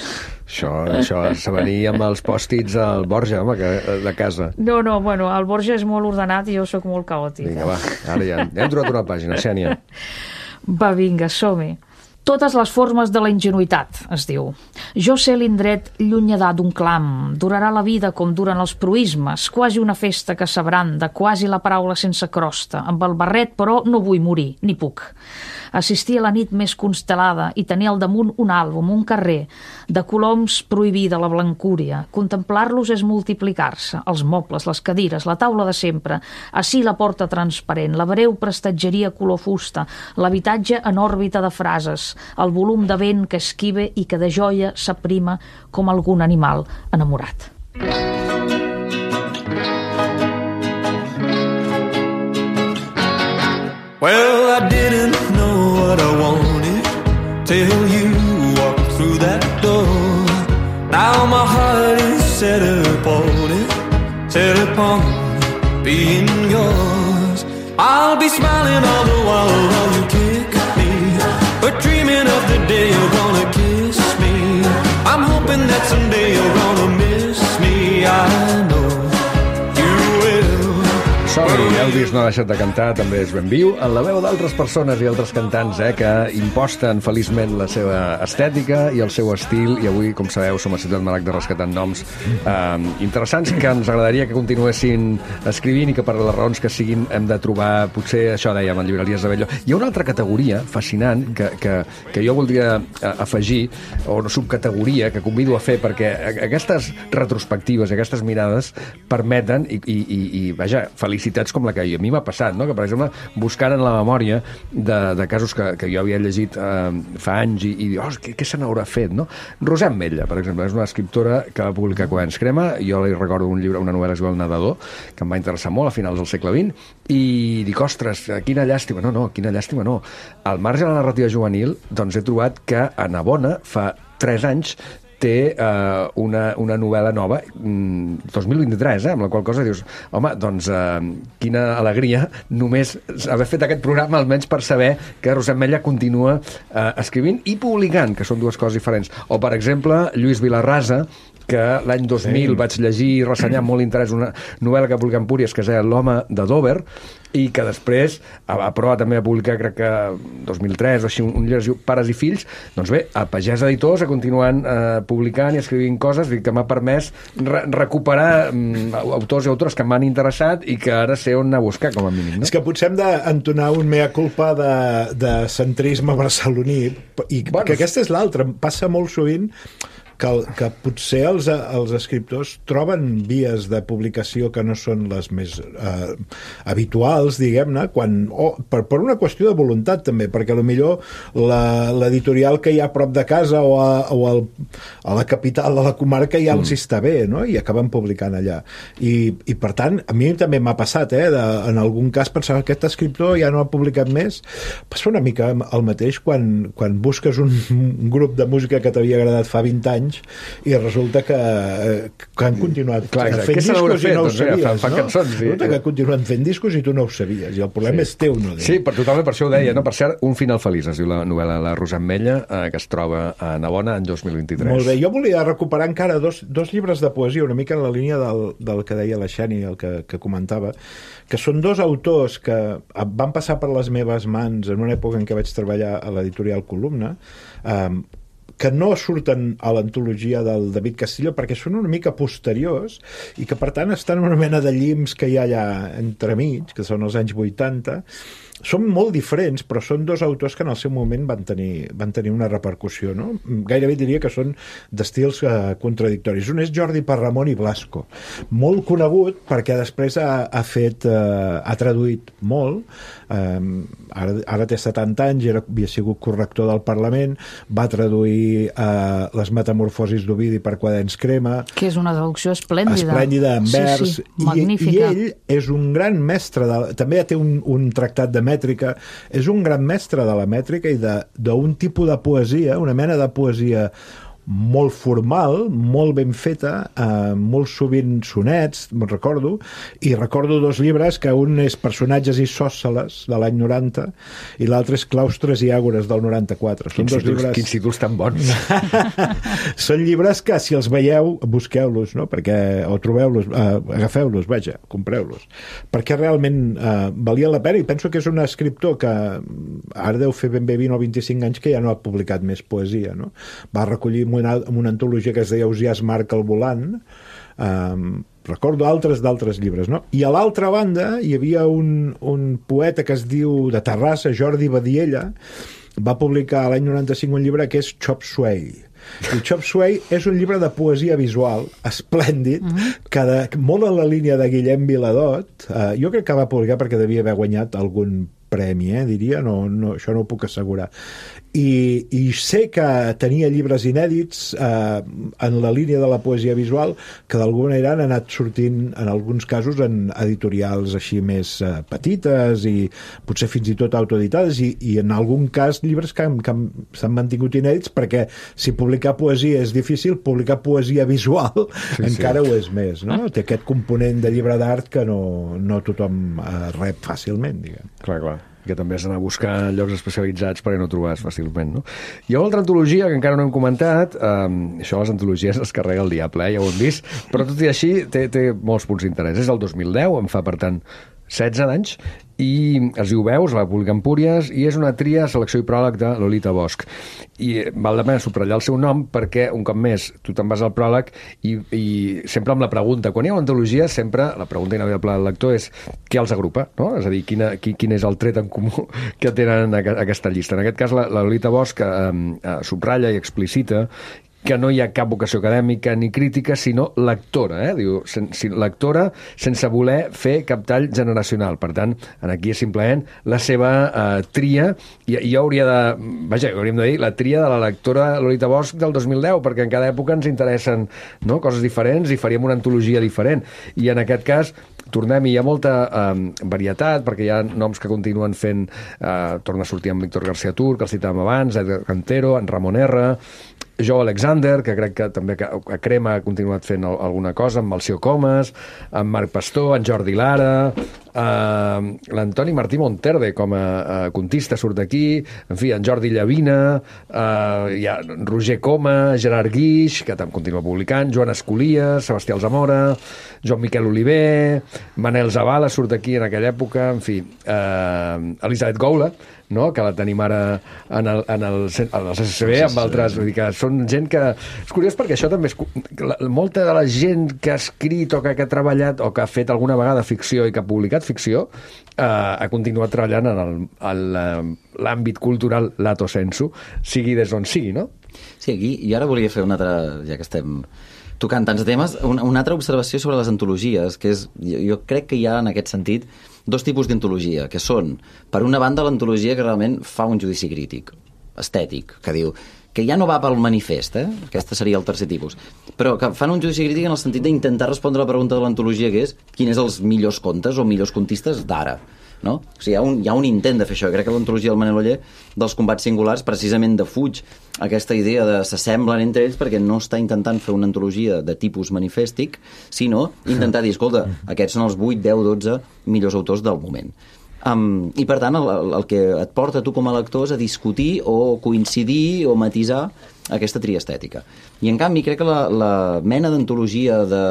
Això, això se venia amb els pòstits al Borja, home, que, de casa. No, no, bueno, el Borja és molt ordenat i jo sóc molt caòtica. Vinga, va, ara ja, ja hem trobat una pàgina, Xènia. Va, vinga, som-hi. Totes les formes de la ingenuïtat, es diu. Jo sé l'indret llunyadà d'un clam, durarà la vida com duren els proïsmes, quasi una festa que s'abranda, quasi la paraula sense crosta, amb el barret, però no vull morir, ni puc. Assistir a la nit més constel·lada i tenir al damunt un àlbum, un carrer, de coloms prohibida la blancúria. Contemplar-los és multiplicar-se, els mobles, les cadires, la taula de sempre, ací la porta transparent, la breu prestatgeria color fusta, l'habitatge en òrbita de frases, el volum de vent que esquive i que de joia s'aprima com algun animal enamorat. Well, I didn't know what I wanted till you walked through that door. Now my heart is set upon it, set upon being yours. I'll be smiling all the while while you kick me, but dreaming of the day you're gonna kiss me. I'm hoping that someday you're gonna miss me. I know you will. Sorry, Elvis no ha deixat de cantar, també és ben viu, en la veu d'altres persones i altres cantants eh, que imposten feliçment la seva estètica i el seu estil, i avui, com sabeu, som a Ciutat Maragda rescatant noms eh, interessants que ens agradaria que continuessin escrivint i que per les raons que siguin hem de trobar, potser això dèiem, en llibreries de Bello. Hi ha una altra categoria fascinant que, que, que jo voldria afegir, o una subcategoria que convido a fer, perquè aquestes retrospectives, aquestes mirades permeten, i, i, i, i vaja, felicitats com la que a mi m'ha passat, no? Que per exemple, buscant en la memòria de, de casos que, que jo havia llegit eh, fa anys i, i dir, oh, què, què se n'haurà fet, no? Rosem Metlla, per exemple, és una escriptora que va publicar Quaderns Crema, jo li recordo un llibre, una novel·la que es diu El Nedador, que em va interessar molt a finals del segle vint, i dic, ostres, quina llàstima, no, no, quina llàstima no. Al marge de la narrativa juvenil, doncs he trobat que a Navona fa tres anys té eh, una, una novel·la nova, dos mil vint-i-tres, eh, amb la qual cosa dius, home, doncs eh, quina alegria només haver fet aquest programa, almenys per saber que Rosem Metlla continua eh, escrivint i publicant, que són dues coses diferents. O, per exemple, Lluís Vilarrasa, que l'any dos mil sí. vaig llegir i ressenyar amb molt interès una novel·la que publica Empúries, que es deia L'home de Dover, i que després a prova també a publicar, crec que dos mil tres o així, un llibre que es diu Pares i fills. Doncs bé, a Pagès Editors ha continuant eh, publicant i escrivint coses que m'ha permès re recuperar mm, autors i autores que m'han interessat i que ara sé on anar a buscar, com a mínim, no? És que potser hem d'entonar un mea culpa de, de centrisme barceloní, i bueno, que aquesta és l'altra. Passa molt sovint que, que potser els, els escriptors troben vies de publicació que no són les més eh, habituals, diguem-ne, quan, oh, per, per una qüestió de voluntat també, perquè potser l'editorial que hi ha a prop de casa o, a, o al, a la capital de la comarca ja els està bé, no? I acaben publicant allà. I, i per tant, a mi també m'ha passat, eh, de, en algun cas pensava que aquest escriptor ja no ha publicat més. Passa una mica el mateix quan, quan busques un, un grup de música que t'havia agradat fa vint anys i resulta que, que han continuat Clar, fent discos i no ho sabies, fan, fan no? Cançons, sí. Resulta que continuen fent discos i tu no ho sabies, i el problema sí. és teu, no d'ell. Sí, per totalment per això ho deia, no? Per cert, Un final feliç, es diu la novel·la La Rosem Metlla, eh, que es troba a Navona en dos mil vint-i-tres. Molt bé, jo volia recuperar encara dos, dos llibres de poesia, una mica en la línia del, del que deia la Xeni, el que, que comentava, que són dos autors que van passar per les meves mans en una època en què vaig treballar a l'editorial Columna, eh, que no surten a l'antologia del David Castillo perquè són una mica posteriors i que per tant estan en una mena de llims que hi ha allà entremig, que són els anys vuitanta. Són molt diferents, però són dos autors que en el seu moment van tenir, van tenir una repercussió, no? Gairebé diria que són d'estils eh, contradictoris. Un és Jordi Parramon i Blasco, molt conegut perquè després ha, ha fet, eh, ha traduït molt, eh, ara, ara té setanta anys, era, havia sigut corrector del Parlament, va traduir eh, Les metamorfosis d'Ovidi per Quaderns Crema, que és una traducció esplèndida, esplèndida en vers, sí, sí, magnífica. I, i ell és un gran mestre de, també té un, un tractat de mètrica, és un gran mestre de la mètrica i d'un tipus de poesia, una mena de poesia molt formal, molt ben feta, eh, molt sovint sonets, me'n recordo, i recordo dos llibres, que un és Personatges isòsceles, de l'any noranta, i l'altre és Claustres i àgores, del noranta-quatre. Són Quins dos títols, llibres... quins títols tan bons. Són llibres que, si els veieu, busqueu-los, no? Perquè, o trobeu-los, eh, agafeu-los, vaja, compreu-los. Perquè realment eh, valia la pena, i penso que és un escriptor que ara deu fer ben bé vint o vint-i-cinc anys que ja no ha publicat més poesia, no? Va recollir una, una antologia que es deia Ausiàs Marc al volant, eh, recordo altres d'altres llibres, no? I a l'altra banda hi havia un, un poeta que es diu de Terrassa, Jordi Badiella, va publicar l'any noranta-cinc un llibre que és Chop Suey. I Chop Suey és un llibre de poesia visual esplèndid, uh-huh. que de, molt en la línia de Guillem Viladot. Uh, jo crec que va publicar perquè devia haver guanyat algun premi, eh, diria, no, no, això no ho puc assegurar. I, i sé que tenia llibres inèdits eh, en la línia de la poesia visual que d'alguna manera han anat sortint en alguns casos en editorials així més eh, petites i potser fins i tot autoeditades, i, i en algun cas llibres que, que s'han mantingut inèdits, perquè si publicar poesia és difícil, publicar poesia visual sí, encara sí. ho és més, no? Té aquest component de llibre d'art que no, no tothom eh, rep fàcilment, diguem. Clar, clar, que també has d'anar a buscar llocs especialitzats perquè no ho trobes fàcilment, no? Hi ha una altra antologia que encara no hem comentat, um, això les antologies les carrega el diable, eh? Ja ho hem vist, però tot i així té, té molts punts d'interès. És el dos mil deu, em fa per tant setze anys, i es diu Veus, la publica Empúries, i és una tria, selecció i pròleg de Lolita Bosch. I val la pena subratllar el seu nom perquè, un cop més, tu te'n vas al pròleg i, i sempre amb la pregunta, quan hi ha una antologia, sempre la pregunta inevitable del lector és què els agrupa, no? És a dir, quina, quin, quin és el tret en comú que tenen a, a aquesta llista. En aquest cas, la, la Lolita Bosch eh, eh, subratlla i explicita que no hi ha cap vocació acadèmica ni crítica, sinó lectora, eh? Diu, sen, lectora sense voler fer cap tall generacional. Per tant, aquí és simplement la seva eh, tria, i, i jo hauria de... Vaja, hauríem de dir la tria de la lectora Lolita Bosch del dos mil deu, perquè en cada època ens interessen, no?, coses diferents i faríem una antologia diferent. I en aquest cas tornem, i hi ha molta eh, varietat, perquè hi ha noms que continuen fent, eh, torna a sortir amb Víctor García Tur, que el citàvem abans, Edgar Cantero, en Ramon R., Joe Alexander, que crec que també a Crema ha continuat fent alguna cosa, amb Melcior Comas, amb Marc Pastor, en Jordi Lara, eh, l'Antoni Martí Monterde com a, a contista surt d'aquí, en fi, en Jordi Llavina, eh, hi ha Roger Coma, Gerard Guix, que també continua publicant, Joan Escolies, Sebastià Alzamora, Joan Miquel Oliver, Manel Zavala surt d'aquí en aquella època, en fi, eh, Elisabet Goula, no?, que la tenim ara en el, en el, en el C C C B, amb altres, vull dir que són gent que... És curiós perquè això també és... La, molta de la gent que ha escrit o que, que ha treballat o que ha fet alguna vegada ficció i que ha publicat ficció eh, ha continuat treballant en l'àmbit cultural lato sensu, sigui des d'on sigui, no? Sí, aquí, i ara volia fer una altra, ja que estem tocant tants temes, una, una altra observació sobre les antologies, que és, jo, jo crec que hi ha en aquest sentit dos tipus d'antologia, que són, per una banda, l'antologia que realment fa un judici crític, estètic, que diu que ja no va pel manifest, eh? Aquest seria el tercer tipus, però que fan un judici crític en el sentit d'intentar respondre a la pregunta de l'antologia, que és quins són els millors contes o millors contistes d'ara, no? O sigui, hi ha un, hi ha un intent de fer això. Crec que l'antologia del Manel Oller dels combats singulars precisament defuig aquesta idea de s'assemblen entre ells, perquè no està intentant fer una antologia de tipus manifèstic, sinó intentar dir, escolta, aquests són els vuit, deu, dotze millors autors del moment. Um, I per tant el, el que et porta tu com a lector és a discutir o coincidir o matisar aquesta tria estètica. I en canvi crec que la, la mena d'antologia de,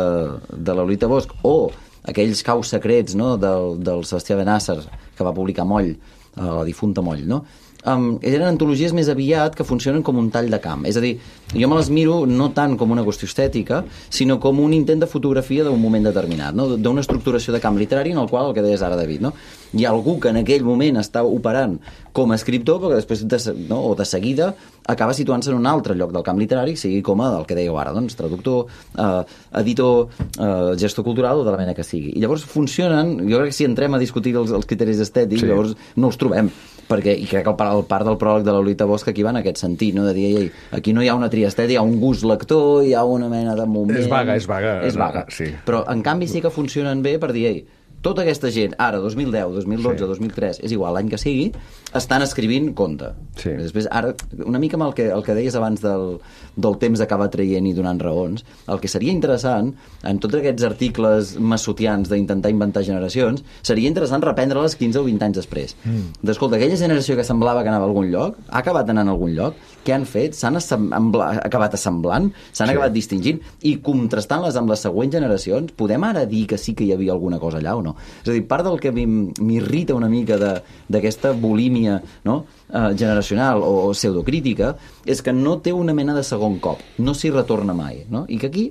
de la Lolita Bosch o aquells caus secrets, no?, del, del Sebastià Benàsser, que va publicar Moll, la difunta Moll, no?, um, eren antologies més aviat que funcionen com un tall de camp. És a dir, jo me les miro no tant com una qüestió estètica, sinó com un intent de fotografia d'un moment determinat, no?, d'una estructuració de camp literari en el qual, el que deies ara, David, no?, hi ha algú que en aquell moment està operant com a escriptor, però que després, de, no, o de seguida, acaba situant-se en un altre lloc del camp literari, sigui com a el que dèieu ara, doncs, traductor, eh, editor, eh, gestor cultural o de la mena que sigui. I llavors funcionen, jo crec que si entrem a discutir els, els criteris estètics, sí, llavors no els trobem, perquè, i crec que el, el part del pròleg de la Lolita Bosch aquí va en aquest sentit, no?, de dir, ei, aquí no hi ha una tria estètica, hi ha un gust lector, hi ha una mena de moment... És vaga, és vaga. És vaga, sí. Però en canvi sí que funcionen bé per dir, ei, tota aquesta gent, ara, dos mil deu, dos mil dotze, Sí. dos mil tres, és igual, l'any que sigui, estan escrivint conte. Sí. Després, ara, una mica amb el que, el que deies abans del, del temps d'acabar traient i donant raons, el que seria interessant, en tots aquests articles massotians d'intentar inventar generacions, seria interessant reprendre-les quinze o vint anys després. Mm. D'escolta, aquella generació que semblava que anava a algun lloc, ha acabat anant a algun lloc, què han fet? S'han assembla, acabat assemblant, s'han sí. acabat distingint, i contrastant-les amb les següents generacions, podem ara dir que sí que hi havia alguna cosa allà o no? És a dir, part del que m'irrita una mica d'aquesta bulímia, no? Uh, generacional o, o pseudocrítica és que no té una mena de segon cop, no s'hi retorna mai, no? I que aquí,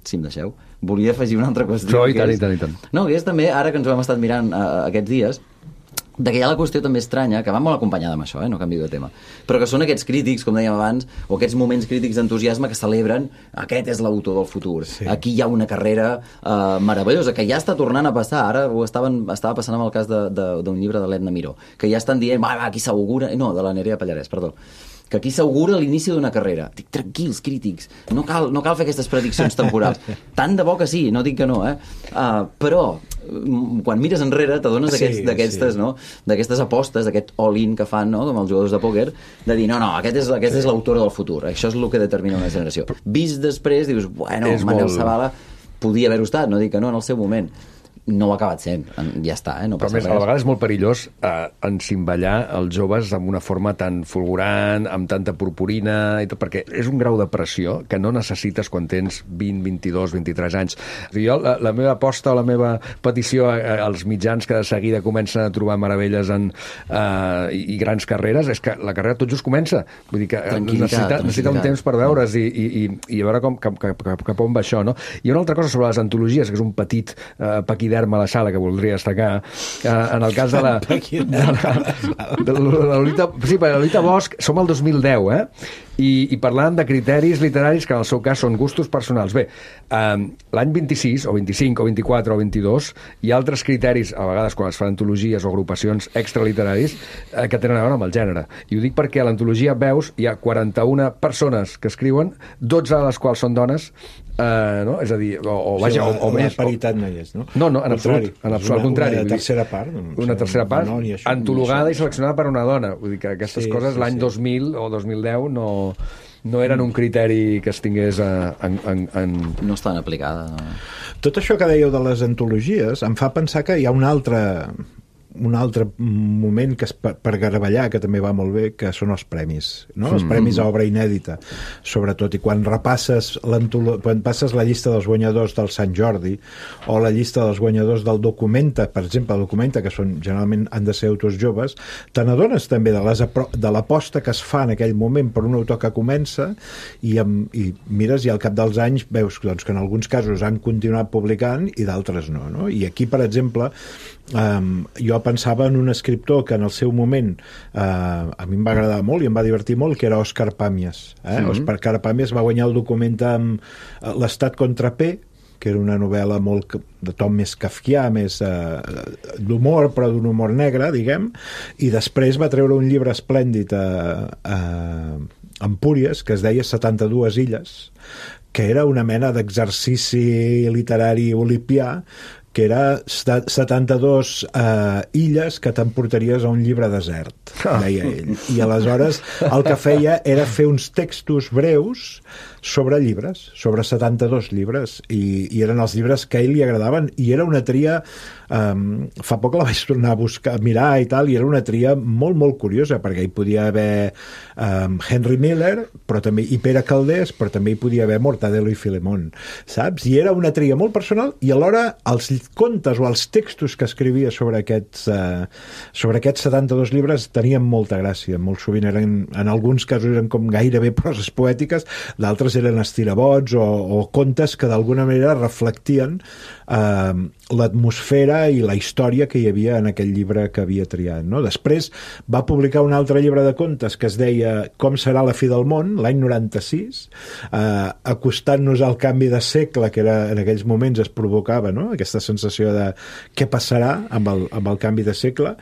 si em deixeu, volia afegir una altra qüestió. No, i tant, és, i tant, i tant. No, que és també, ara que ens ho hem estat mirant uh, aquests dies, de que hi ha la qüestió també estranya, que va molt acompanyada amb això, eh? No canvio de tema, però que són aquests crítics, com dèiem abans, o aquests moments crítics d'entusiasme que celebren aquest és l'autor del futur. Sí. Aquí hi ha una carrera uh, meravellosa, que ja està tornant a passar. Ara ho estaven, estava passant amb el cas d'un llibre de l'Edna Miró, que ja estan dient, va, va, aquí s'augura... No, de la Nerea Pallarès, perdó. Que aquí s'augura l'inici d'una carrera. Dic, tranquils, crítics, no cal, no cal fer aquestes prediccions temporals. Tant de bo que sí, no dic que no, eh? Uh, però, quan mires enrere, t'adones sí, d'aquestes sí. no? d'aquestes apostes, d'aquest all-in que fan, no? Com els jugadors de pòquer, de dir, no, no, aquest és, aquest és l'autor del futur, això és el que determina una generació. Vist després, dius, bueno, És Manel molt... Zavala podia haver-ho estat, no dic que no en el seu moment. No ho ha acabat sent, ja està, eh? No Però passa més, res. a la vegada és molt perillós eh, encimbellar els joves amb una forma tan fulgurant, amb tanta purpurina, i tot, perquè és un grau de pressió que no necessites quan tens vint, vint-i-dos, vint-i-tres anys. Jo, la, la meva aposta o la meva petició a, a, als mitjans que de seguida comencen a trobar meravelles en, eh, i, i grans carreres, és que la carrera tot just comença. Vull dir que necessita, necessita un temps per veure's i, i, i, i a veure com, cap, cap, cap, cap on va això, no? I una altra cosa sobre les antologies, que és un petit eh, paquiderme a la sala que voldria destacar, eh, en el cas de la... de la, de la Lolita, sí, per la Lolita Bosch som al dos mil deu, eh? I, i parlant de criteris literaris que en el seu cas són gustos personals. Bé, eh, l'any vint-i-sis, o vint-i-cinc, o vint-i-quatre, o vint-i-dos, hi ha altres criteris, a vegades quan es fan antologies o agrupacions extraliteraris, eh, que tenen a veure amb el gènere. I ho dic perquè a l'antologia Veus hi ha quaranta-una persones que escriuen, dotze de les quals són dones, eh, no? És a dir, o, o, vaja, o, o la més... La paritat no hi és, no? No, no, en contrari. absolut, en absolut, al contrari. Una tercera part. Doncs, una tercera part, no, això, antologada això, i seleccionada per una dona. Vull dir que aquestes sí, coses sí, l'any sí. dos mil o dos mil deu no, no eren un criteri que es tingués a, en, en, en... No estan aplicades. No. Tot això que dèieu de les antologies em fa pensar que hi ha un altre un altre moment que és per, per garavellar, que també va molt bé, que són els premis, no? Els premis a obra inèdita, sobretot, i quan repasses quan passes la llista dels guanyadors del Sant Jordi o la llista dels guanyadors del Documenta, per exemple, el Documenta, que són, generalment han de ser autors joves, te n'adones també de, les, de l'aposta que es fa en aquell moment per un autor que comença i, amb, i mires i al cap dels anys veus doncs, que en alguns casos han continuat publicant i d'altres no, no? I aquí, per exemple, Um, jo pensava en un escriptor que en el seu moment uh, a mi em va agradar molt i em va divertir molt, que era Òscar Pàmies, eh? Mm-hmm. Òscar Pàmies va guanyar el Documenta amb uh, l'Estat contra P, que era una novel·la molt de tom més kafkià, més uh, d'humor, però d'un humor negre, diguem, i després va treure un llibre esplèndid a, a Empúries, que es deia setanta-dues illes, que era una mena d'exercici literari olipià, que era setanta-dues uh, illes que t'emportaries a un llibre desert, deia ell. I aleshores el que feia era fer uns textos breus sobre llibres, sobre setanta-dos llibres, i, i eren els llibres que a ell li agradaven, i era una tria, um, fa poc la vaig tornar a buscar, a mirar i tal, i era una tria molt, molt curiosa, perquè hi podia haver um, Henry Miller, però també, i Pere Calders, però també hi podia haver Mortadelo i Filemón, saps? I era una tria molt personal, i alhora els contes o els textos que escrivia sobre aquests, uh, sobre aquests setanta-dos llibres tenien molta gràcia, molt sovint eren, en alguns casos eren com gairebé proses poètiques, d'altres eren estirabots o, o contes que d'alguna manera reflectien eh, l'atmosfera i la història que hi havia en aquell llibre que havia triat, no? Després va publicar un altre llibre de contes que es deia Com serà la fi del món, l'any noranta-sis, eh, acostant-nos al canvi de segle que era, en aquells moments es provocava, no? Aquesta sensació de què passarà amb el, amb el canvi de segle.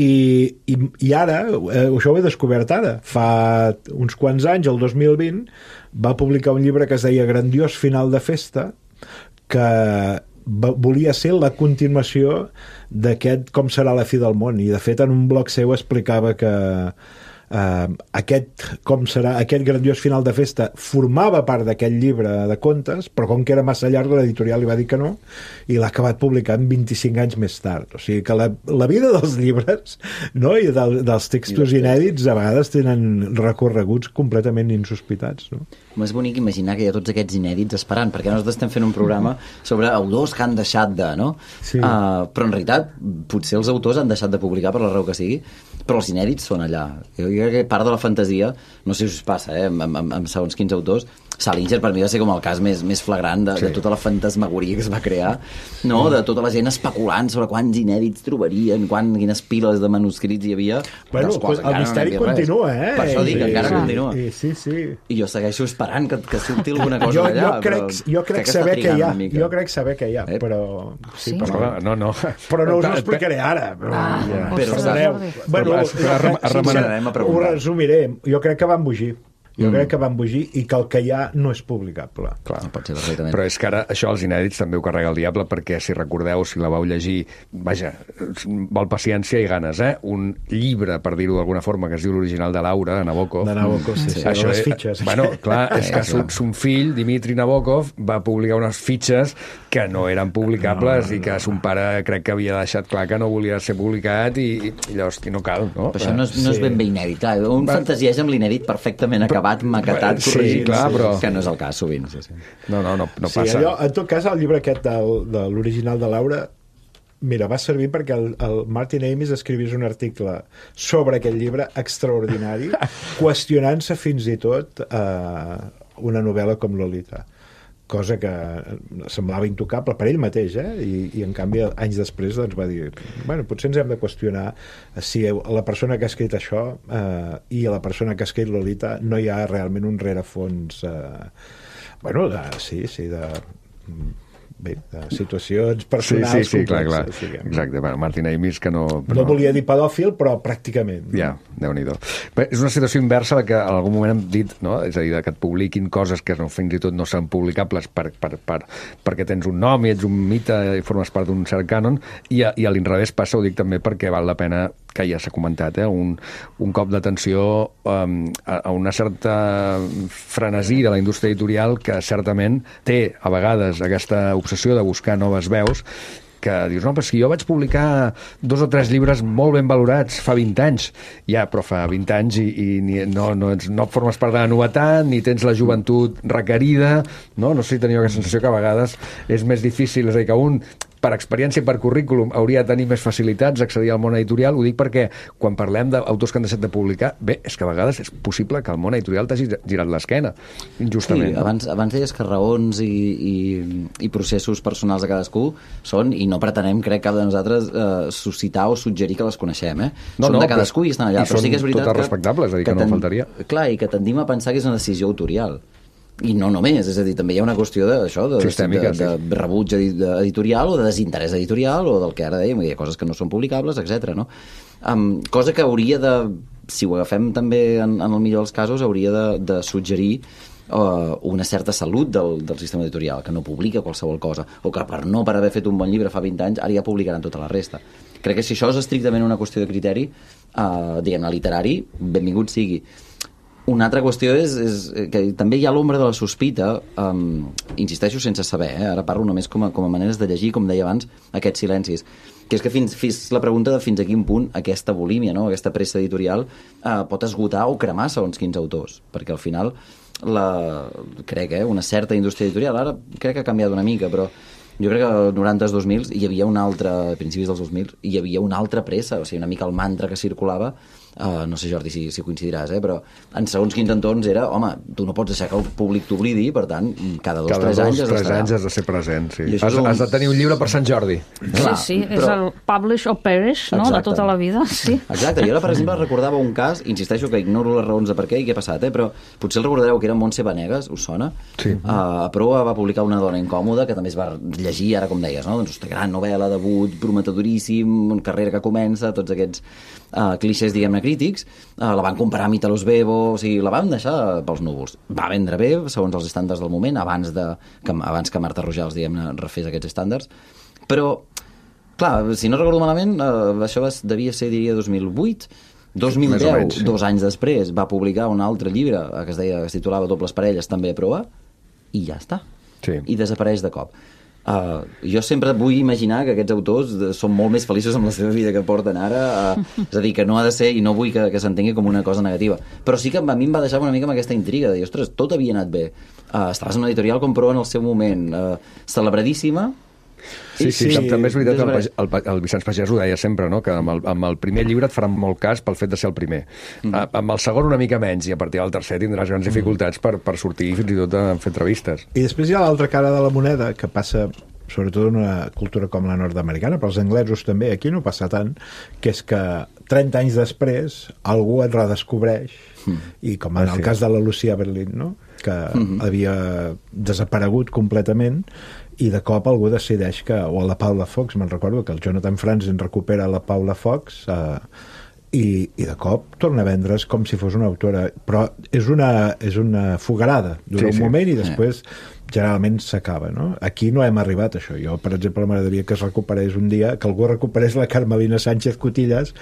I, i, i ara, eh, això ho he descobert ara, fa uns quants anys, el dos mil vint, va publicar un llibre que es deia Grandiós final de festa, que volia ser la continuació d'aquest Com serà la fi del món, i de fet en un blog seu explicava que Uh, aquest, com serà, aquest grandiós final de festa formava part d'aquest llibre de contes, però com que era massa llarg l'editorial li va dir que no, i l'ha acabat publicant vint-i-cinc anys més tard. O sigui que la, la vida dels llibres, no? I del, dels textos inèdits a vegades tenen recorreguts completament insospitats, no? És bonic imaginar que hi ha tots aquests inèdits esperant, perquè nosaltres estem fent un programa sobre autors que han deixat de, no? Sí. Uh, però en realitat potser els autors han deixat de publicar per la raó que sigui, però els inèdits són allà. Jo crec que part de la fantasia, no sé si us passa, eh, amb, amb, amb segons quins autors, Salinger per mi va ser com el cas més, més flagrant de, sí. de tota la fantasmagoria que es va crear, no? De tota la gent especulant sobre quants inèdits trobarien, quan, quines piles de manuscrits hi havia. Bueno, pues, el misteri no continua, eh? Per això dic, sí, encara sí, continua. Sí, sí, sí. I jo segueixo esperant que, que surti alguna cosa jo, d'allà. Jo crec, però jo crec saber que hi ha, jo crec saber que hi ha, eh? però... Sí? Sí, però, no, no. però no us ho explicaré ara. Però, Ah, ja. però ostres, Perdoneu. Jordi. Bueno, Però, jo remenarem crec, ho resumiré. Jo crec que van embogir. Jo mm. crec que van embogir i que el que hi ha no és publicable. Clar. No pot ser perfectament. Però és que ara això als inèdits també ho carrega el diable, perquè si recordeu, si la vau llegir, vaja, val paciència i ganes, eh? Un llibre, per dir-ho d'alguna forma, que es diu l'original de Laura, de Nabokov. De Nabokov, sí, sí, Això les és, fitxes. Bueno, clar, és que son, son fill, Dimitri Nabokov, va publicar unes fitxes que no eren publicables no, no, i que son pare crec que havia deixat clar que no volia ser publicat i, i llavors i no cal, no? Però això no és, no és ben bé inèdit, clar. Un va... fantasieix amb l'inèdit perfectament acabat, maquetat, sí, corregit, clar, però... que no és el cas sovint. Sí, sí. No, no, no, no sí, passa. Allò, en tot cas, el llibre aquest del, de l'original de Laura, mira, va servir perquè el, el Martin Amis escrivís un article sobre aquest llibre extraordinari, qüestionant-se fins i tot eh, una novel·la com Lolita, cosa que semblava intocable per ell mateix, eh? I, i en canvi anys després doncs, va dir, bueno, potser ens hem de qüestionar si la persona que ha escrit això eh, i la persona que ha escrit Lolita no hi ha realment un rerefons eh, bueno, de, sí, sí de bé, de situacions personals sí, sí, sí, clar, clar. Diguem. Exacte, bueno, Martin Amis que no... Però... no volia dir pedòfil, però pràcticament. Ja, Déu-n'hi-do. Bé, és una situació inversa la que en algun moment hem dit, no? És a dir, que et publiquin coses que no, fins i tot no són publicables per, per, per, perquè tens un nom i ets un mite i formes part d'un cert cànon, i a, i a l'inrevés passa, ho dic també perquè val la pena, que ja s'ha comentat, eh? un, un cop d'atenció um, a, a una certa frenesí de la indústria editorial que certament té a vegades aquesta obsessió de buscar noves veus, que dius, no, però si jo vaig publicar dos o tres llibres molt ben valorats fa vint anys, ja, però fa vint anys i, i ni, no, no, ets, no formes part de la novetat, ni tens la joventut requerida, no? No sé si teniu aquesta sensació que a vegades és més difícil, és a dir, que un per experiència i per currículum hauria de tenir més facilitats d'accedir al món editorial. Ho dic perquè quan parlem d'autors que han deixat de publicar, bé, és que a vegades és possible que el món editorial t'hagi girat l'esquena, injustament. Sí, abans, abans deies que raons i, i, i processos personals de cadascú són, i no pretenem, crec, cap de nosaltres eh, suscitar o suggerir que les coneixem, eh? No, són no, de cadascú i estan allà. I però són sí que és veritat totes que, respectables, és a dir, que, que no faltaria. Clar, i que tendim a pensar que és una decisió autorial. I no només, és a dir, també hi ha una qüestió d'això, de, Sistèmica, de, de, de rebuig editorial o de desinterès editorial o del que ara dèiem, hi ha coses que no són publicables, etcètera. No? Um, cosa que hauria de, si ho agafem també en, en el millor dels casos, hauria de, de suggerir uh, una certa salut del, del sistema editorial, que no publica qualsevol cosa, o que per no per haver fet un bon llibre fa vint anys, ara ja publicaran tota la resta. Crec que si això és estrictament una qüestió de criteri, uh, diguem-ne, literari, benvingut sigui. Una altra qüestió és, és que també hi ha l'ombra de la sospita, um, insisteixo sense saber, eh? Ara parlo només com a, com a maneres de llegir, com deia abans, aquests silencis, que és que fins, fins la pregunta de fins a quin punt aquesta bulímia, no? Aquesta pressa editorial uh, pot esgotar o cremar segons quins autors, perquè al final la, crec, eh, una certa indústria editorial, ara crec que ha canviat una mica, però jo crec que als noranta, dos mil hi havia una altra, a principis dels dos mil, hi havia una altra pressa, o sigui, una mica el mantra que circulava. Uh, no sé, Jordi, si, si coincidiràs, eh? Però en segons quins entorns era, home, tu no pots deixar que el públic t'oblidi, per tant, cada dos, cada tres dos, anys has tres d'estar anys has de ser present, sí. Has, un... has de tenir un llibre per Sant Jordi. Clar, sí, sí, però... és el publish or perish, no?, de tota la vida, sí. Exacte, jo ara, per exemple, recordava un cas, insisteixo que ignoro les raons de per què i què ha passat, eh? Però potser el recordareu, que era Montse Vanegas, us sona? Sí. Uh, a Proa va publicar Una dona incòmoda, que també es va llegir, ara com deies, no? Doncs, gran novel·la, debut, prometedoríssim, carrera que comença, tots aquests uh, clixés, diguem-ne, a crítics, eh, la van comparar amb Italo Svevo, o sigui, la van deixar pels núvols. Va vendre bé, segons els estàndards del moment, abans, de, que, abans que Marta Rojals, diguem-ne, refés aquests estàndards. Però, clar, si no recordo malament, eh, això devia ser, diria, dos mil vuit, dos mil deu, menys, sí. Dos anys després, va publicar un altre llibre que es deia, que es titulava Dobles parelles, també a prova, i ja està. Sí. I desapareix de cop. Uh, jo sempre vull imaginar que aquests autors són molt més feliços amb la seva vida que porten ara, uh, és a dir, que no ha de ser, i no vull que, que s'entengui com una cosa negativa, però sí que a mi em va deixar una mica amb aquesta intriga de dir, ostres, tot havia anat bé, uh, estaves en una editorial com Proa en el seu moment, uh, celebradíssima. Sí, sí, sí, també és veritat, el, el, el Vicenç Pagès ho deia sempre, no? Que amb el, amb el primer llibre et faran molt cas pel fet de ser el primer. Mm. Uh, amb el segon una mica menys, i a partir del tercer tindràs grans dificultats per, per sortir fins i tot a fer entrevistes. I després hi ha l'altra cara de la moneda, que passa sobretot en una cultura com la nord-americana, però els anglesos també, aquí no passa tant, que és que trenta anys després algú et redescobreix, mm. i com en ah, el sí. cas de la Lucia Berlin, no? Que mm-hmm. havia desaparegut completament, i de cop algú decideix que, o la Paula Fox, me'n recordo que el Jonathan Franzen recupera la Paula Fox, eh, i, i de cop torna a vendre's com si fos una autora, però és una, és una fogarada, dura sí, un sí. moment i després generalment s'acaba, no? Aquí no hem arribat a això. Jo, per exemple, m'agradaria que es recuperés un dia, que algú recuperés la Carmelina Sánchez Cotillas,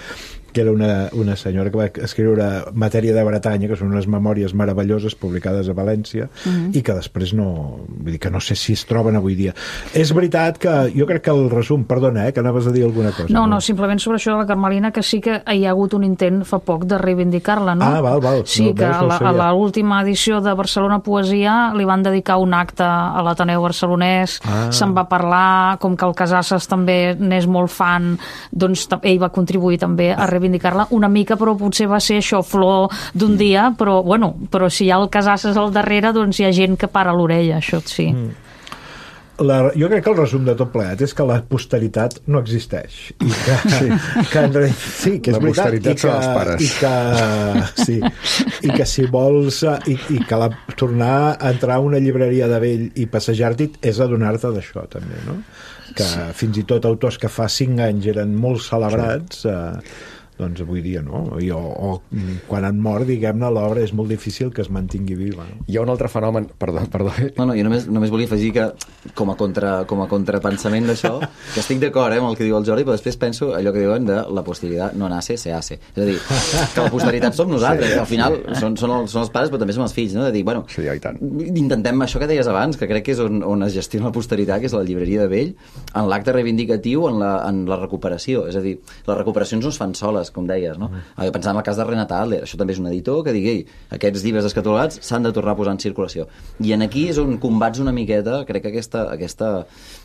que era una, una senyora que va escriure Matèria de Bretanya, que són unes memòries meravelloses publicades a València, uh-huh. i que després no... Vull dir que no sé si es troben avui dia. És veritat que jo crec que el resum... Perdona, eh, que anaves a dir alguna cosa. No, no, no, simplement sobre això de la Carmelina, que sí que hi ha hagut un intent fa poc de reivindicar-la, no? Ah, val, val. Sí, no, que veus, no a l'última edició de Barcelona Poesia li van dedicar un acte a l'Ateneu Barcelonès, ah. se'n va parlar, com que el Casasses també n'és molt fan, doncs ell va contribuir també a reivindicar-la una mica, però potser va ser això, flor d'un dia, però bueno, però si hi ha el Casasses al darrere, doncs hi ha gent que para l'orella, això sí. Mm. La, jo crec que el resum de tot plegat és que la posteritat no existeix i que, sí. que en realitat, sí, que és la veritat, posteritat i són que, els pares i que, sí, i que si vols i, i que la, tornar a entrar a una llibreria de vell i passejar-t'hi és adonar-te d'això també, no? Que sí. fins i tot autors que fa cinc anys eren molt celebrats, sí. eh, doncs avui dia no, I, o, o quan han mort, diguem-ne, l'obra és molt difícil que es mantingui viva, no? Hi ha un altre fenomen, perdó, perdó. No, no, jo només, només volia afegir que com a, contra, com a contrapensament d'això, que estic d'acord eh, amb el que diu el Jordi, però després penso allò que diuen de la posteritat no nace, se hace. És a dir, que la posteritat som nosaltres, sí, que al final sí. són, són, els, són els pares, però també som els fills, no? De dir, bueno, sí, i tant. Intentem això que deies abans, que crec que és on, on es gestiona la posteritat, que és la llibreria de vell, en l'acte reivindicatiu, en la, en la recuperació. És a dir, les recuperacions no es fan soles, com deies, no? Mm. Pensant en el cas de Renata Adler, això també és un editor que digui, aquests llibres descatalogats s'han de tornar a posar en circulació. I en aquí és on combats una miqueta, crec que aquesta, aquesta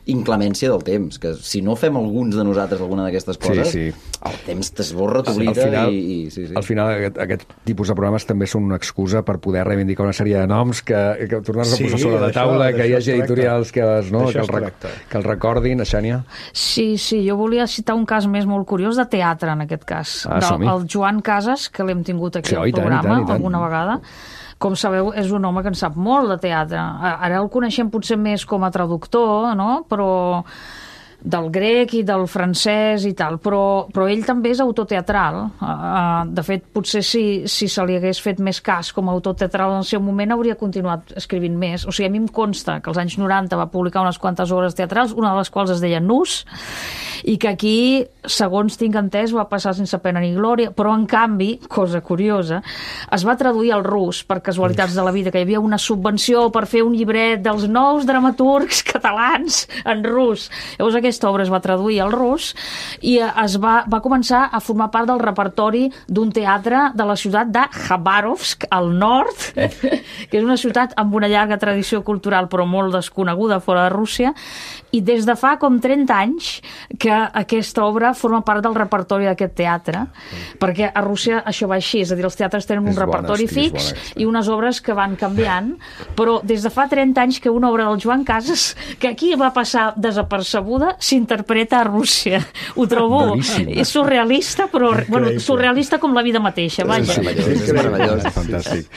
inclemència del temps, que si no fem alguns de nosaltres alguna d'aquestes coses, sí, sí. el temps t'esborra, t'oblida i, i... Sí, sí. Al final aquest, aquest tipus de programes també són una excusa per poder reivindicar una sèrie de noms que, que tornar-nos sí, a posar sobre la taula, que hi hagi editorials que, les, no, que, el, rec, que el recordin, Xènia. Sí, sí, jo volia citar un cas més molt curiós de teatre, en aquest cas. Ah, del, el Joan Casas, que l'hem tingut aquí sí, al programa tant, tant, tant. alguna vegada. Com sabeu, és un home que en sap molt de teatre. Ara el coneixem potser més com a traductor, no? Però del grec i del francès i tal, però, però ell també és autor teatral. Uh, de fet, potser si, si se li hagués fet més cas com a autor teatral en el seu moment hauria continuat escrivint més. O sigui, a mi em consta que als anys noranta va publicar unes quantes obres teatrals, una de les quals es deia Nus, i que aquí, segons tinc entès, va passar sense pena ni glòria, però en canvi, cosa curiosa, es va traduir al rus per casualitats de la vida, que hi havia una subvenció per fer un llibret dels nous dramaturgs catalans en rus. Llavors aquesta obra es va traduir al rus i es va, va començar a formar part del repertori d'un teatre de la ciutat de Khabarovsk, al nord, que és una ciutat amb una llarga tradició cultural però molt desconeguda fora de Rússia, i des de fa com trenta anys que aquesta obra forma part del repertori d'aquest teatre, perquè a Rússia això va així, és a dir, els teatres tenen un repertori fix i unes obres que van canviant, però des de fa trenta anys que una obra del Joan Casas, que aquí va passar desapercebuda, s'interpreta a Rússia. Ho trobo Boníssim. és surrealista, però bueno, surrealista com la vida mateixa, vaja. És meravellós, és meravellós. Fantàstic.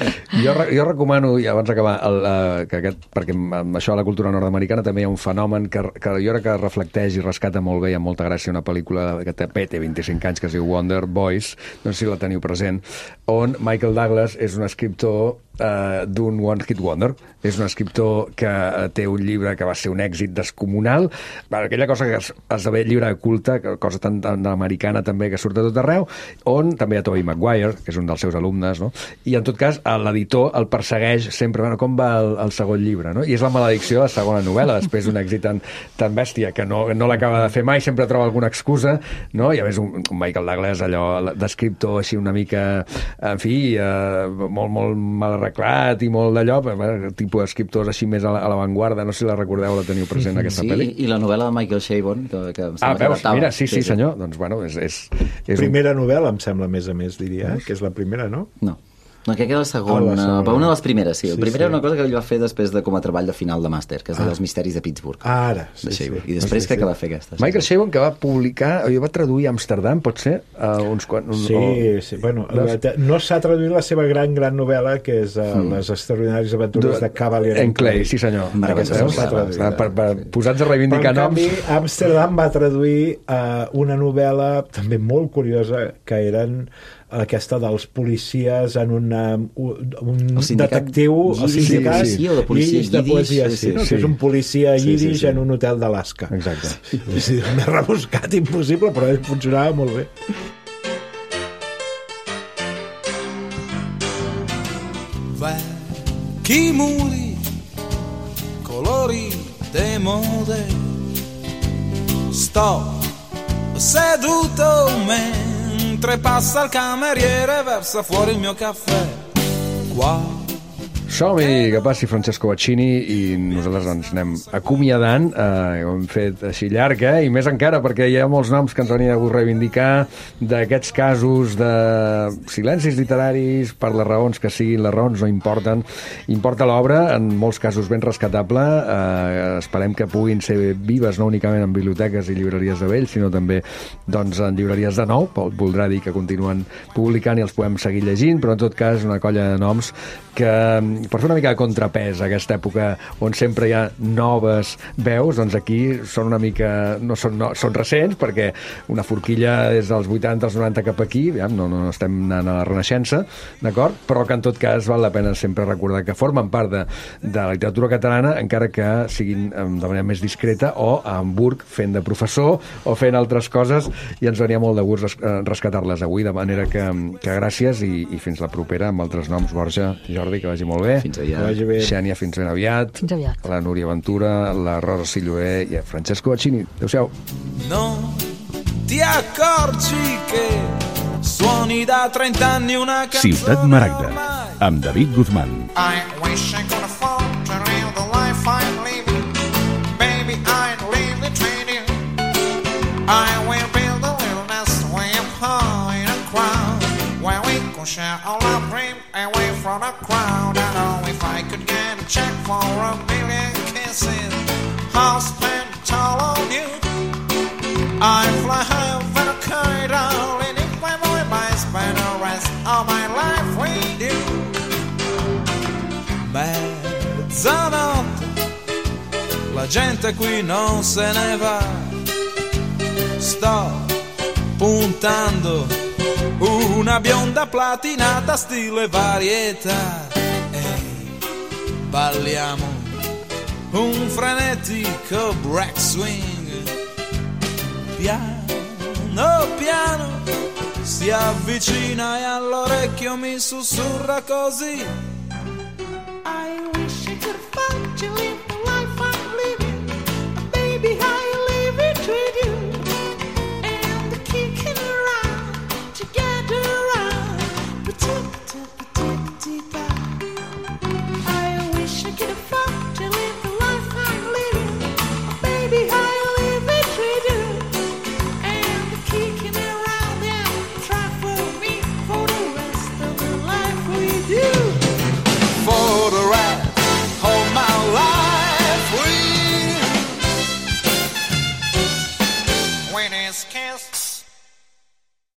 Jo, jo recomano, i abans d'acabar, el, uh, que aquest, perquè amb això a la cultura nord-americana també hi ha un fenomen que, que jo crec que reflecteix i rescata molt bé i amb molta gràcia una pel·lícula que té, té vint-i-cinc anys, que es diu Wonder Boys, no sé si la teniu present, on Michael Douglas és un escriptor uh, d'un One Hit Wonder. És un escriptor que té un llibre que va ser un èxit descomunal, aquella cosa que es, esdevé llibre culte, cosa tan, tan americana també, que surt a tot arreu, on també hi ha Tobey Maguire, que és un dels seus alumnes, no? I en tot cas l'editor el persegueix sempre, bueno, com va el, el segon llibre, no? I és la maledicció de la segona novel·la, després d'un èxit tan, tan bèstia que no, no l'acaba de fer mai, sempre troba alguna excusa, no? I a més un, un Michael Douglas, allò d'escriptor així una mica, en fi, eh, molt, molt mal arreglat i molt d'allò, tipus d'escriptors així més a l'avantguarda, no sé si la recordeu, la teniu present, aquesta sí, pel·li. I la novel·la de Michael Chabon, que, que em ah, veus, que mira, sí, sí, senyor, doncs bueno, és... és, és primera un... novel·la, em sembla, a més a més, diria, eh? Que és la primera, no? No. No, crec que era la segona, oh, la segona. Però una de les primeres, sí. sí la primera sí. Era una cosa que ell va fer després de com a treball de final de màster, que és ah. dels misteris de Pittsburgh. Ah, ara, sí, sí. sí. I després sí, crec sí. que va fer aquesta. Sí, Michael sí. Chabon, que va publicar, jo va traduir a Amsterdam, pot ser? Uh, uns quants... Un, sí, o... sí, bueno, la, no s'ha traduït la seva gran, gran novel·la, que és uh, mm. Les extraordinàries aventures de, de Cavalier en Clay. Sí, senyor. Aquesta no s'ha traduït. Per, per, posats a reivindicar noms. Però, en canvi, Amsterdam va traduir uh, una novel·la també molt curiosa, que eren aquesta dels policies en una, un, un detectiu al sindicat sí, sí, sí. O de policia de poesia, sí, sí, no? sí. Que és un policia sí, yiddish sí, sí. en un hotel d'Alaska. Exacte. Sí, més rebuscat impossible, però funcionava molt bé. Vecchi muri, colori de mode, sto seduto mentre passa il cameriere, versa fuori il mio caffè. Qua. Som-hi, que passi Francesco Baccini i nosaltres ens anem acomiadant, eh, ho hem fet així llarg, eh? I més encara perquè hi ha molts noms que ens venien a reivindicar d'aquests casos de silencis literaris, per les raons que siguin, les raons no importen, importa l'obra, en molts casos ben rescatable, eh, esperem que puguin ser vives no únicament en biblioteques i llibreries de vell, sinó també doncs, en llibreries de nou, voldrà dir que continuen publicant i els podem seguir llegint, però en tot cas una colla de noms que per fer una mica de contrapès a aquesta època on sempre hi ha noves veus, doncs aquí són una mica, no són, no, són recents, perquè una forquilla és dels vuitanta als noranta cap aquí, ja, no, no estem anant a la Renaixença, d'acord? Però que en tot cas val la pena sempre recordar que formen part de, de la literatura catalana, encara que siguin de manera més discreta, o a Hamburg fent de professor o fent altres coses, i ens venia molt de gust rescatar-les avui, de manera que, que gràcies i, i fins la propera amb altres noms. Borja, Jordi, que vagi molt bé. Fins aviat. Xènia, fins ben aviat. Fins aviat. La Núria Ventura, la Rosa Silloé i Francesco Baccini. Adéu-siau. No ti accorgi che suoni da trent'anni una canzone. Ciutat Maragda, amb David Guzmán. I wish I could afford to live the life I'm living. Baby, I'd leave the trading. I will build a little nest way up high in a crowd, where we could share all our dreams away from the crowd. I know if I could get a check for a million kisses, I'll spend it all on you. I fly high over a kite, darling, if my boy might spend the rest of my life with you. Mezzanotte, la gente qui non se ne va. Sto puntando una bionda platinata stile varietà. Ehi, balliamo un frenetico break swing. Piano piano si avvicina e all'orecchio mi sussurra così: I wish I could find you in